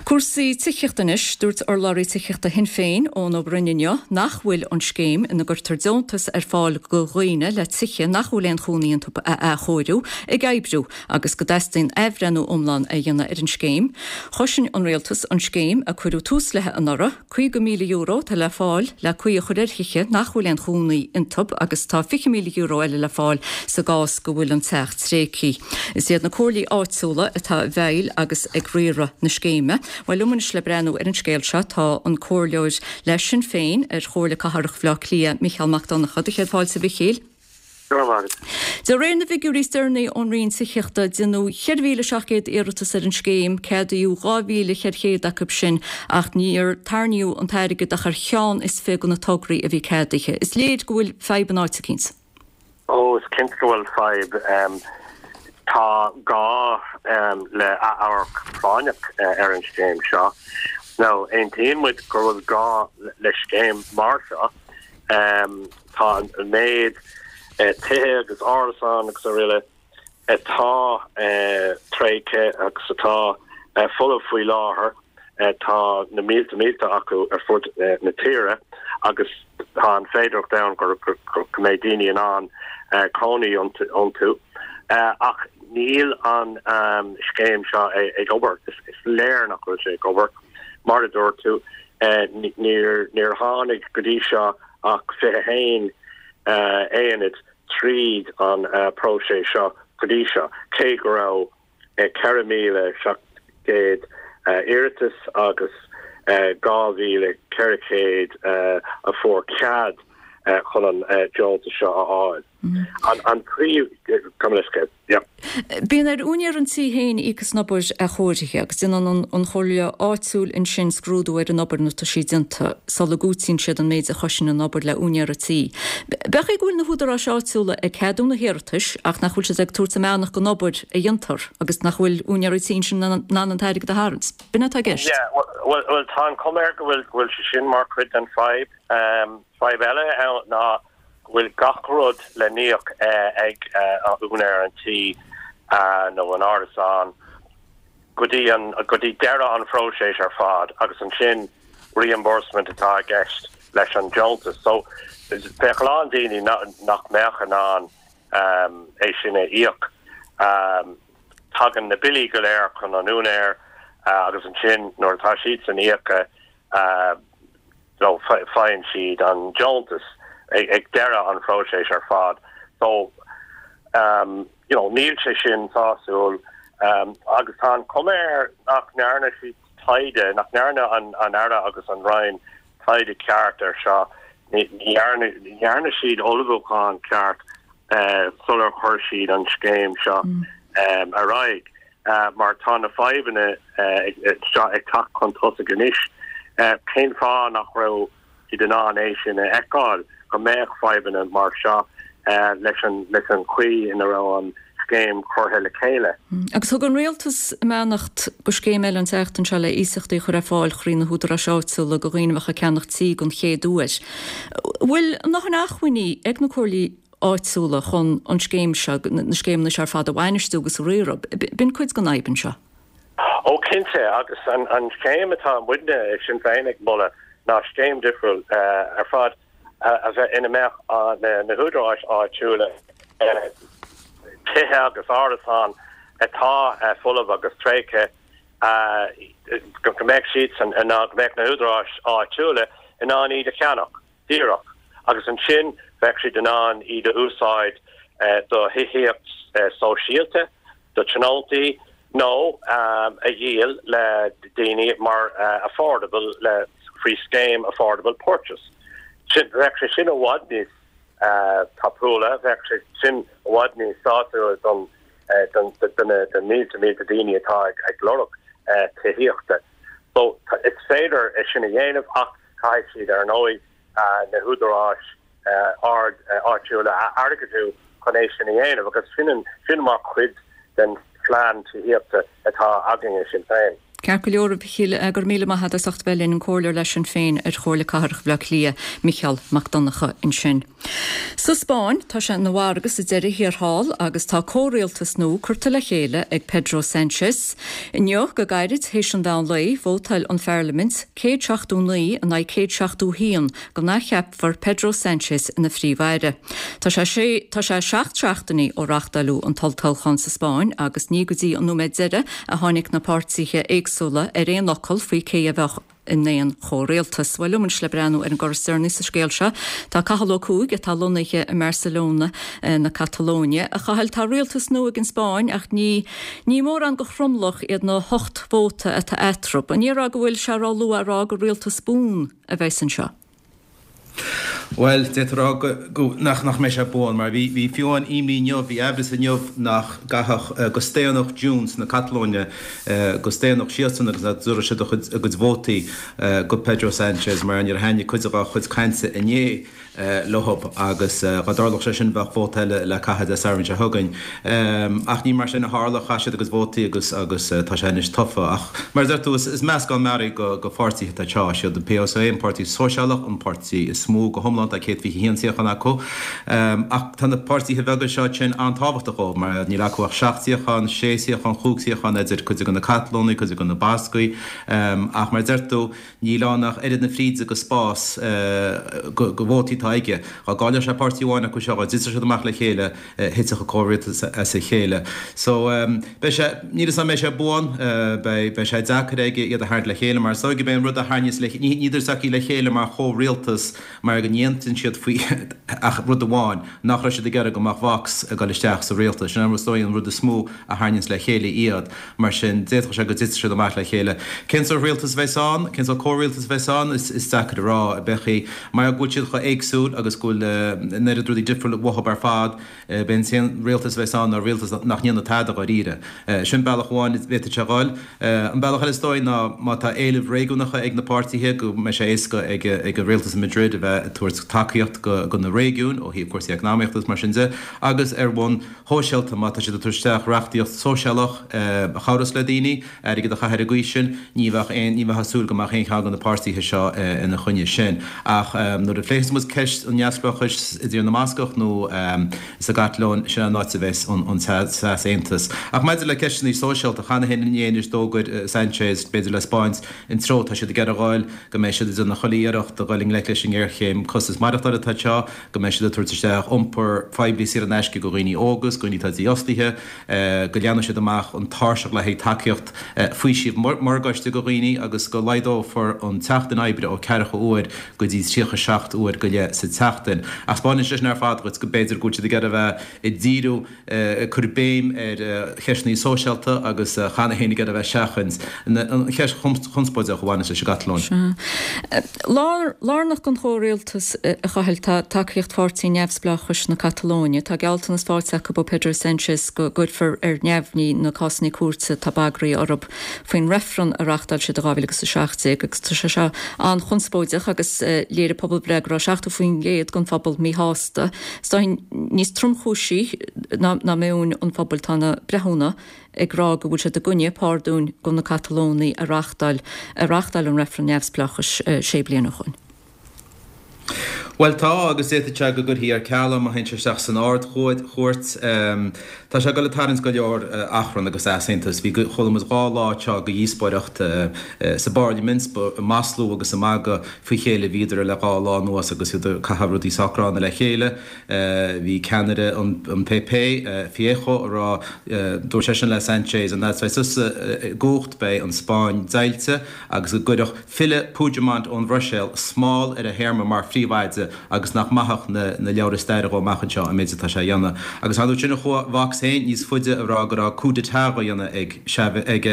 Cúrsaí tithíochta anois. Dúirt urlabhraí tithíochta Shinn Féin, Eoin Ó Broin inniu nach bhfuil an scéim ina gcuirtear deontas ar fáil do dhaoine le tithe nach bhfuil aon chónaí iontu a athchóiriú ag oibriú agus go dteastaíonn athbhreithniú iomlán a dhéanamh ar an scéim. Chosain an rialtas an scéim a cuireadh tús léi anuraidh, caoga míle euro atá le fáil le caoi a chur ar thithe nach bhfuil aon chónaí iontu agus tá fiche míle euro eile le fáil sa gcás go bhfuil an teach tréigthe. Is iad na comhairlí áitiúla atá i bhfeighil agus ag riaradh na scéime. Bhuel, liom anois le breathnú ar an scéal seo tá an comhairleoir le Sinn Féin ar Chomhairle Cathrach Bhaile Átha Cliath, Micheál Mac Donncha. Do chéad fáilte, a Mhichíl. Go raibh maith agat. De réir na bhfigiúirí is deireanaí ón Roinn Tithíochta, déanadh ceithre mhíle seacht gcéad iarratas ar an scéim, ceadaíodh dhá mhíle ceithre chéad acu sin ach níor tarraingíodh an t-airgead ach ar cheann is fiche de na tograí a bhí ceadaithe. Is léir go bhfuil fadhb in áit eicínt. Ó, is cinnte go bhfuil fadhb. Tá gá le athamharc práinneach ar an scéim seo. Now, aontaíonn muid go bhfuil gá le scéim mar seo. Tá an méid tithe agus árasán agus araile atá tréigthe agus atá folamh faoi láthair, tá na mílte mílte acu ar fud na tíre agus tá an féidearthacht ann go mbeidh daoine in ann cónaí iontu. Ach níl an scéim seo ag obair. Is léir nach bhfuil sé ag obair. Mar a dúirt tú, níor tháinig go dtí seo ach fiche haon aonad tríd an próiseas seo go dtí seo, cé go raibh ceithre mhíle seacht gcéad iarratas agus dhá mhíle ceithre chéad a fuair cead chun an deontas seo a fháil. An príomh, gabh mo leithscéal, yeah. Bíonn ar úinéir an tí féin íoc as an obair athchóirithe agus déanann an chomhairle áitiúil ansin scrúdú ar an obair nuair atá sí déanta sula gcúitíonn siad an méid a chosain an obair le úinéir an tí. B'fhéidir go bhfuil na húdaráis áitiúla ag ceadú na hiarratais ach nach bhfuil siad ag tabhairt a mbeannacht don obair a dhéantar agus nach bhfuil úinéirí tí ansin in ann an t-airgead a tharraingt. B'in atá i gceist. Yeah, bhuel, bhuel, tá an chuma air go bhfuil, go bhfuil sé sin mar chuid den fadhb. Fadhb eile ann ná go bhfuil gach rud le n-íoc ag úinéir an tí nó an árasán go dtí an go dtí deireadh an phróiseas ar fad agus ansin reimbursement atá i gceist leis an deontas. So bheadh a lán daoine nach mbeadh in ann é sin a íoc. Tagann na billí go léir chun an úinéir agus ansin nuair atá siadsan íoctha nó faigheann siad an deontas ag deireadh an phróiseas ar fad. So, you know, níl sé sin sásúil agus tá an chuma air nach ndearna siad taighde, nach ndearna an Aire agus an Roinn taighde ceart ar seo. Ní dhearna siad ullmhúchán ceart sular chuir siad an scéim seo ar aghaidh mar tá na fadhbanna seo ag teacht chun tosaigh anois. Cén fáth nach raibh siad in ann é sin a fheiceáil, go mbeadh fadhbanna mar seo leis an leis an chaoi ina raibh an scéim curtha le chéile? Agus thug an rialtas a mbeannacht do scéim eile an tseachtain seo le iasachtaí a chur ar fáil thrí na húdaráis áitiúla do dhaoine a bheadh ag ceannach tí don chéad uair. Bhfuil a ndóthain acmhainní ag na comhairlí áitiúla chun an scéim seo, na scéimeanna seo ar fad a bhainistiú agus a riaradh? B'in cuid den fhadhb anseo. Ó cinnte, agus an scéim atá muidne ag Sinn Féin ag moladh ná scéim difriúil ar fad a bheith ina mbeadh na húdaráis áitiúla, tithe agus árasáin atá folamh agus tréigthe, go mbeadh siadsan in ann, go mbeadh na húdaráis áitiúla in ann iad a cheannach díreach agus ansin bheadh siad in ann iad a úsáid do thithíocht sóisialta. do tionóntaí nó a dhíol le daoine mar affordable le faoi scéim affordable purchase. Sin bheadh sé sin i bhfad níos tapúla, bheadh sé sin i bhfad níos sásúla don don don na mílte mílte daoine atá ag ag lorg tithíochta. So is féidir é sin a dhéanamh ach caithfidh siad ar ndóigh na húdaráis ard áitiúla a airgeadú chun é sin a dhéanamh agus sin sin mar chuid den phlean tithíochta atá againn i Sinn Féin. Ceart go leor, a Mhichíl, go raibh míle maith agat as ucht bheith linn, an comhairleoir le Sinn Féin ar Chomhairle Cathrach Bhaile Átha Cliath, Micheál Mac Donncha ansin. Sa Spáinn, tá sé ina mhargadh sa deireadh thiar thall agus tá comhrialtas nua curtha le chéile ag Pedro Sánchez. Inniu, go gairid théis an mheán lae, vótáil an pharlaimint céad seachtó naoi in aghaidh céad seachtó haon go n-athcheapfar Pedro Sánchez ina phríomh-aire. Tá sé sé tá sé seacht seachtainí ó reáchtáladh an t-olltoghchán sa Spáinn agus ní go dtí an nóiméad deiridh a tháinig na páirtithe éagsúla ar aon fhocal faoi cé a bheadh in aon chomhrialtas. Bhuel, liom anois le breathnú ar an gcor is deireanaí sa scéal seo, tá Cathal Ó Cuaig atá lonnaithe i mBarcelona na Catalóine. A Chathail, tá rialtas nua ag an Spáinn ach ní ní mórán de thromlach iad na hocht vóta atá eatarthu. An é rá go bhfuil sé ró-luath a rá gur rialtas buan a bheas anseo? Bhuel, d'fhéadfá a rá go nach nach mbeidh sé buan, mar bhí bhí fiú amháin imní inniu, bhí aimhreas inniu nach gcaithfeadh go staonfadh Junts na Catalóine go staonfadh siadsan agus nach dtabharfadh siad a chuid a gcuid vótaí go Pedro Sánchez mar níor thaitnigh cuid dá chuid cainte inné leob agus dá dtarlódh sé sin bheadh vóta eile le caitheamh Dé Sathairn seo chugainn. Ach ní mar sin a tharla, chaith siad a gcuid vótaí agus agus tá sé anois tofa. Ach mar a deir tú, is meascán mearaí go go pháirtithe atá anseo. Is iad an PSOE an páirtí sóisialach, an páirtí is mó go hiomlán, tá céad fiche haon suíochán acu. Ach tá na páirtithe beaga seo sin an-tábhachtach dóibh mar níl acu ach seacht suíochán, sé suíochán, chúig suíochán idir cuid de na Catalónaigh, cuid de na Bascaigh. Ach mar a deir tú, níl ann ach oiread na fríde go spás go go vótaí atá aige. Dá gcaillfeadh sé páirtí amháin acu seo, dá dtitfeadh siad amach le chéile, thitfeadh an comhrialtas as a chéile. So beidh sé, níl 'fhios a'm an mbeidh sé buan, beidh beidh sé deacair aige iad a tharraingt le chéile mar is dóigh gurb é an rud a tharraingíos le, ní níl fhios acu le chéile mar chomhrialtas mar go n-aontaíonn siad faoi ach rud amháin, nach raibh siad ag iarraidh go mbeadh Vox ag dul isteach sa rialtas. Sin is dóigh an rud is mó a tharraingíonns le chéile iad. Mar sin d'fhéadfadh sé go dtitfeadh siad amach le chéile. Cén sórt rialtas a bheas ann? Cén sórt comhrialtas a bheas ann? Is is deacair a rá. Beidh sé mar go bhfuil siad chomh héagsúil agus go bhfuil an oiread rudaí difriúil uathu ar fad, b'é an t-aon rialtas a bheas ann ná rialtas nach ndéanfaidh tada dháiríre. Sin bealach amháin a bhféadfadh sé a dhul. An bealach eile is dóigh ná má tá éilimh réigiúnacha ag na páirtithe go mbeidh sé éasca ag ag an rialtas i Madrid a bheith ag tabhairt tacaíocht go go na réigiúin ó thaobh cúrsaí eacnamaíochta agus mar sin de agus ar bhonn shóisialta má tá siad ag tabhairt isteach reachtaíocht sóisialach a chabhrós le daoine airgead a chaitheamh ar an gcaoi sin, ní bheadh aon ní bheifeá ag súil go mbeadh aon cheann de na páirtithe seo ina choinne sin. Ach nuair a phléifeas muid ceist an neamhspleáchais i dTír na mBascach nó sa gCatalóin, sin an áit a bheas an t-easaontas. Ach maidir le ceisteanna sóisialta, cheana féin inné anois d'fhógair Sanchez, b'fhéidir le 'spáint an treo atá siad ag iarraidh a ghabháil, go mbeidh siad ag déanamh chuile iarracht a dhul i ngleic leis an ngéarchéim costas maireachtála atá anseo, go mbeidh siad ag tabhairt isteach iompar poiblí saor in aisce do dhaoine óga is dhaoine atá dífhostaithe, go leathnóidh siad amach an tairseach le haghaidh tacaíocht faoisimh morgáiste do dhaoine agus go laghdófar an tseachtain oibre ó ceathracha uair go dtí tríocha seacht uair go leith sa tseachtain. Ach 'spáineann sé sin ar fad dhuit go mb'fhéidir go bhfuil siad ag iarraidh a bheith ag díriú, ag cur béim ar cheisteanna sóisialta agus cheana féin ag iarraidh a bheith ag seachaint an cheist chonspóideach a bhaineas leis an gCatalóin. Sea. Lárnach don chomhrialtas, a Chathail, tá tacaíocht Pháirtí Neamhspleáchais na Catalóine. Tá gealltanas faighte acu ó Pedro Sánchez go gcuirfear ar neamhní na cásanna cúirte atá bagraithe orthu faoin reifreann a reáchtáil siad i dhá mhíle agus a seacht déag agus tá sé seo an-chonspóideach agus léirigh pobalbhreith go raibh seachtó faoin gcéad den phobal míshásta. Is dóigh níos tromchúisí ná meon an phobail tá na breithiúna ag rá go bhfuil siad i gcoinne pardún do na Catalónaigh a reáchtáil a reáchtáil an reifreann neamhspleáchais sé bliana ó shoin. Bhuel tá, agus d'fhéadfadh sé go gcuirfí ar ceal é má théann sé isteach san Ard-Chúirt. Tá sé ag dul ag tarraingt go leor achrann agus easaontas. Bhí, chuala muid dhá lá anseo de dhíospóireacht sa bParlaimint, ag maslú agus ag magadh faoi chéile a bhíodar le dhá lá anuas agus iad ag caitheamh rudaí sách gránna le chéile. Bhí ceannaire an P P, Feijóo, ag rá, dúirt seisean le Sanchez, an fhad is a bheidh tusa i gcumhacht beidh an Spáinn deighilte agus go gcuirfeadh filleadh Puigdemont ón Bhruiséil smál ar a théarma mar phríomh-aire. caite agus nach maithfeadh na na leabhra staire dhó amach anseo an méid atá sé a dhéanamh. Agus ar ndóigh sin chuaigh Vox féin níos faide a rá go raibh coup d'état á dhéanamh ag ag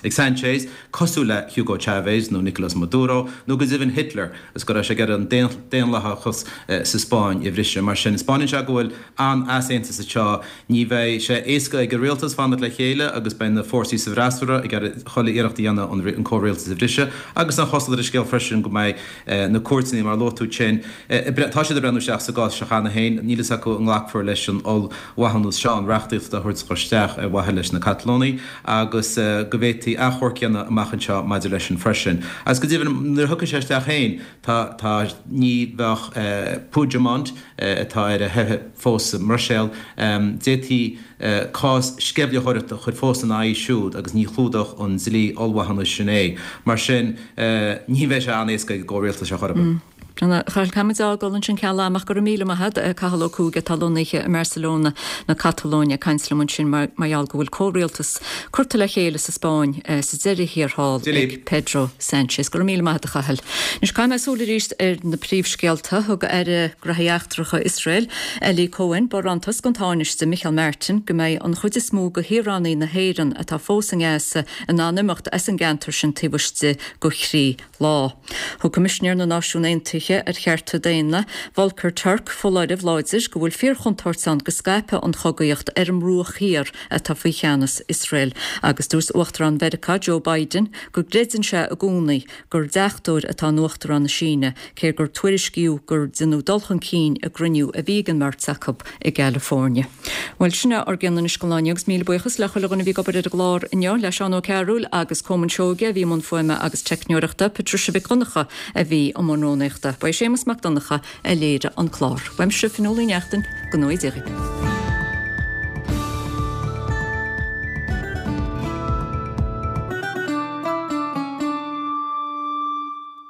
ag Sanchez, cosúil le Hugo Chavez nó Nicolas Maduro nó go deimhin Hitler agus go raibh sé ag iarraidh an daonlathachas sa Spáinn a bhriseadh. Mar sin, 'spáineann sé go bhfuil an-easaontas anseo. Ní bheidh sé éasca ag an rialtas fanacht le chéile agus beidh na fórsaí sa bhfreasúra ag iarraidh chuile iarracht a dhéanamh an comhrialtas a bhriseadh agus an chosúlacht ar an scéal freisin go mbeidh na cúirteanna, mar a luaigh tú sin, tá siad ag breathnú isteach sa gcás seo cheana féin. Níl fhios acu an nglacfar leis an ollmhaithiúnas seo, an reachtaíocht atá a thabhairt isteach ar mhaithe leis na Catalónaigh agus go bhféadfaí achomharc a dhéanamh amach anseo maidir leis sin freisin. Agus go deimhin, nuair a thiocfaidh sé isteach féin, tá, tá, ní bheadh Puigdemont, atá ar a theitheadh fós sa mBruiséil, d'fhéadfaí cás sceimhlitheoireachta a chur fós ina aghaidh siúd agus ní chlúdódh an dlí ollmhaithiúnais sin é. Mar sin, ní bheidh sé an-éasca ag an gcomhrialtas seo chor ar bith. A Chathail, caithfimid a fhágáil ansin ceal ama ach go raibh míle maith agat, Cathal Ó Cuaig atá lonnaithe i mBarcelona na Catalóine ag caint liom ansin mar gheall go bhfuil comhrialtas curtha le chéile sa Spáinn sa deireadh thiar thall ag Pedro Sánchez. Go raibh míle maith agat a Chathail. Anois caithfidh mé súil arís ar na príomhscéalta. Thug Aire Gnóthaí Eachtracha Iosrael, Eli Cohen, barántas don Tánaiste Micheál Martin go mbeidh an chuid is mó de shaoránaigh na hÉireann atá fós i nGaza in ann imeacht as an gceantar sin taobh istigh de thrí lá. Thug Coimisinéir na Náisiún Aontaithe ar Chearta Daonna, Volker Turk, foláireamh láidir go bhfuil fíorchontúirt ann go scaipfidh an chogaíocht ar an mBruach Thiar atá faoi cheannas Iosrael agus dúirt Uachtarán Mheiriceá Joe Biden go gcreideann sé i gcónaí gur deachtóir atá in Uachtarán na Síne, cé gur tuairiscíodh gur deineadh dul chun cinn i gcruinniú a bhí ag an mbeirt acu i gCalifornia. Bhuel, sin é ár gcion anois don lá inniu agus míle buíochas le chuile dhuine a bhí ag obair ar an gclár inniu, le Seán Ó Cearúil agus Colmán Seoige a bhí i mbun fuaime agus teicneoireachta, Patricia Mhic Dhonncha a bhí i mbun rúnaíochta. Ba é Séamus Mac Donncha a léirigh an clár. Uaimse, Fionnuala Ní Neachtain, go ngnóthaí Dia dhaoibh.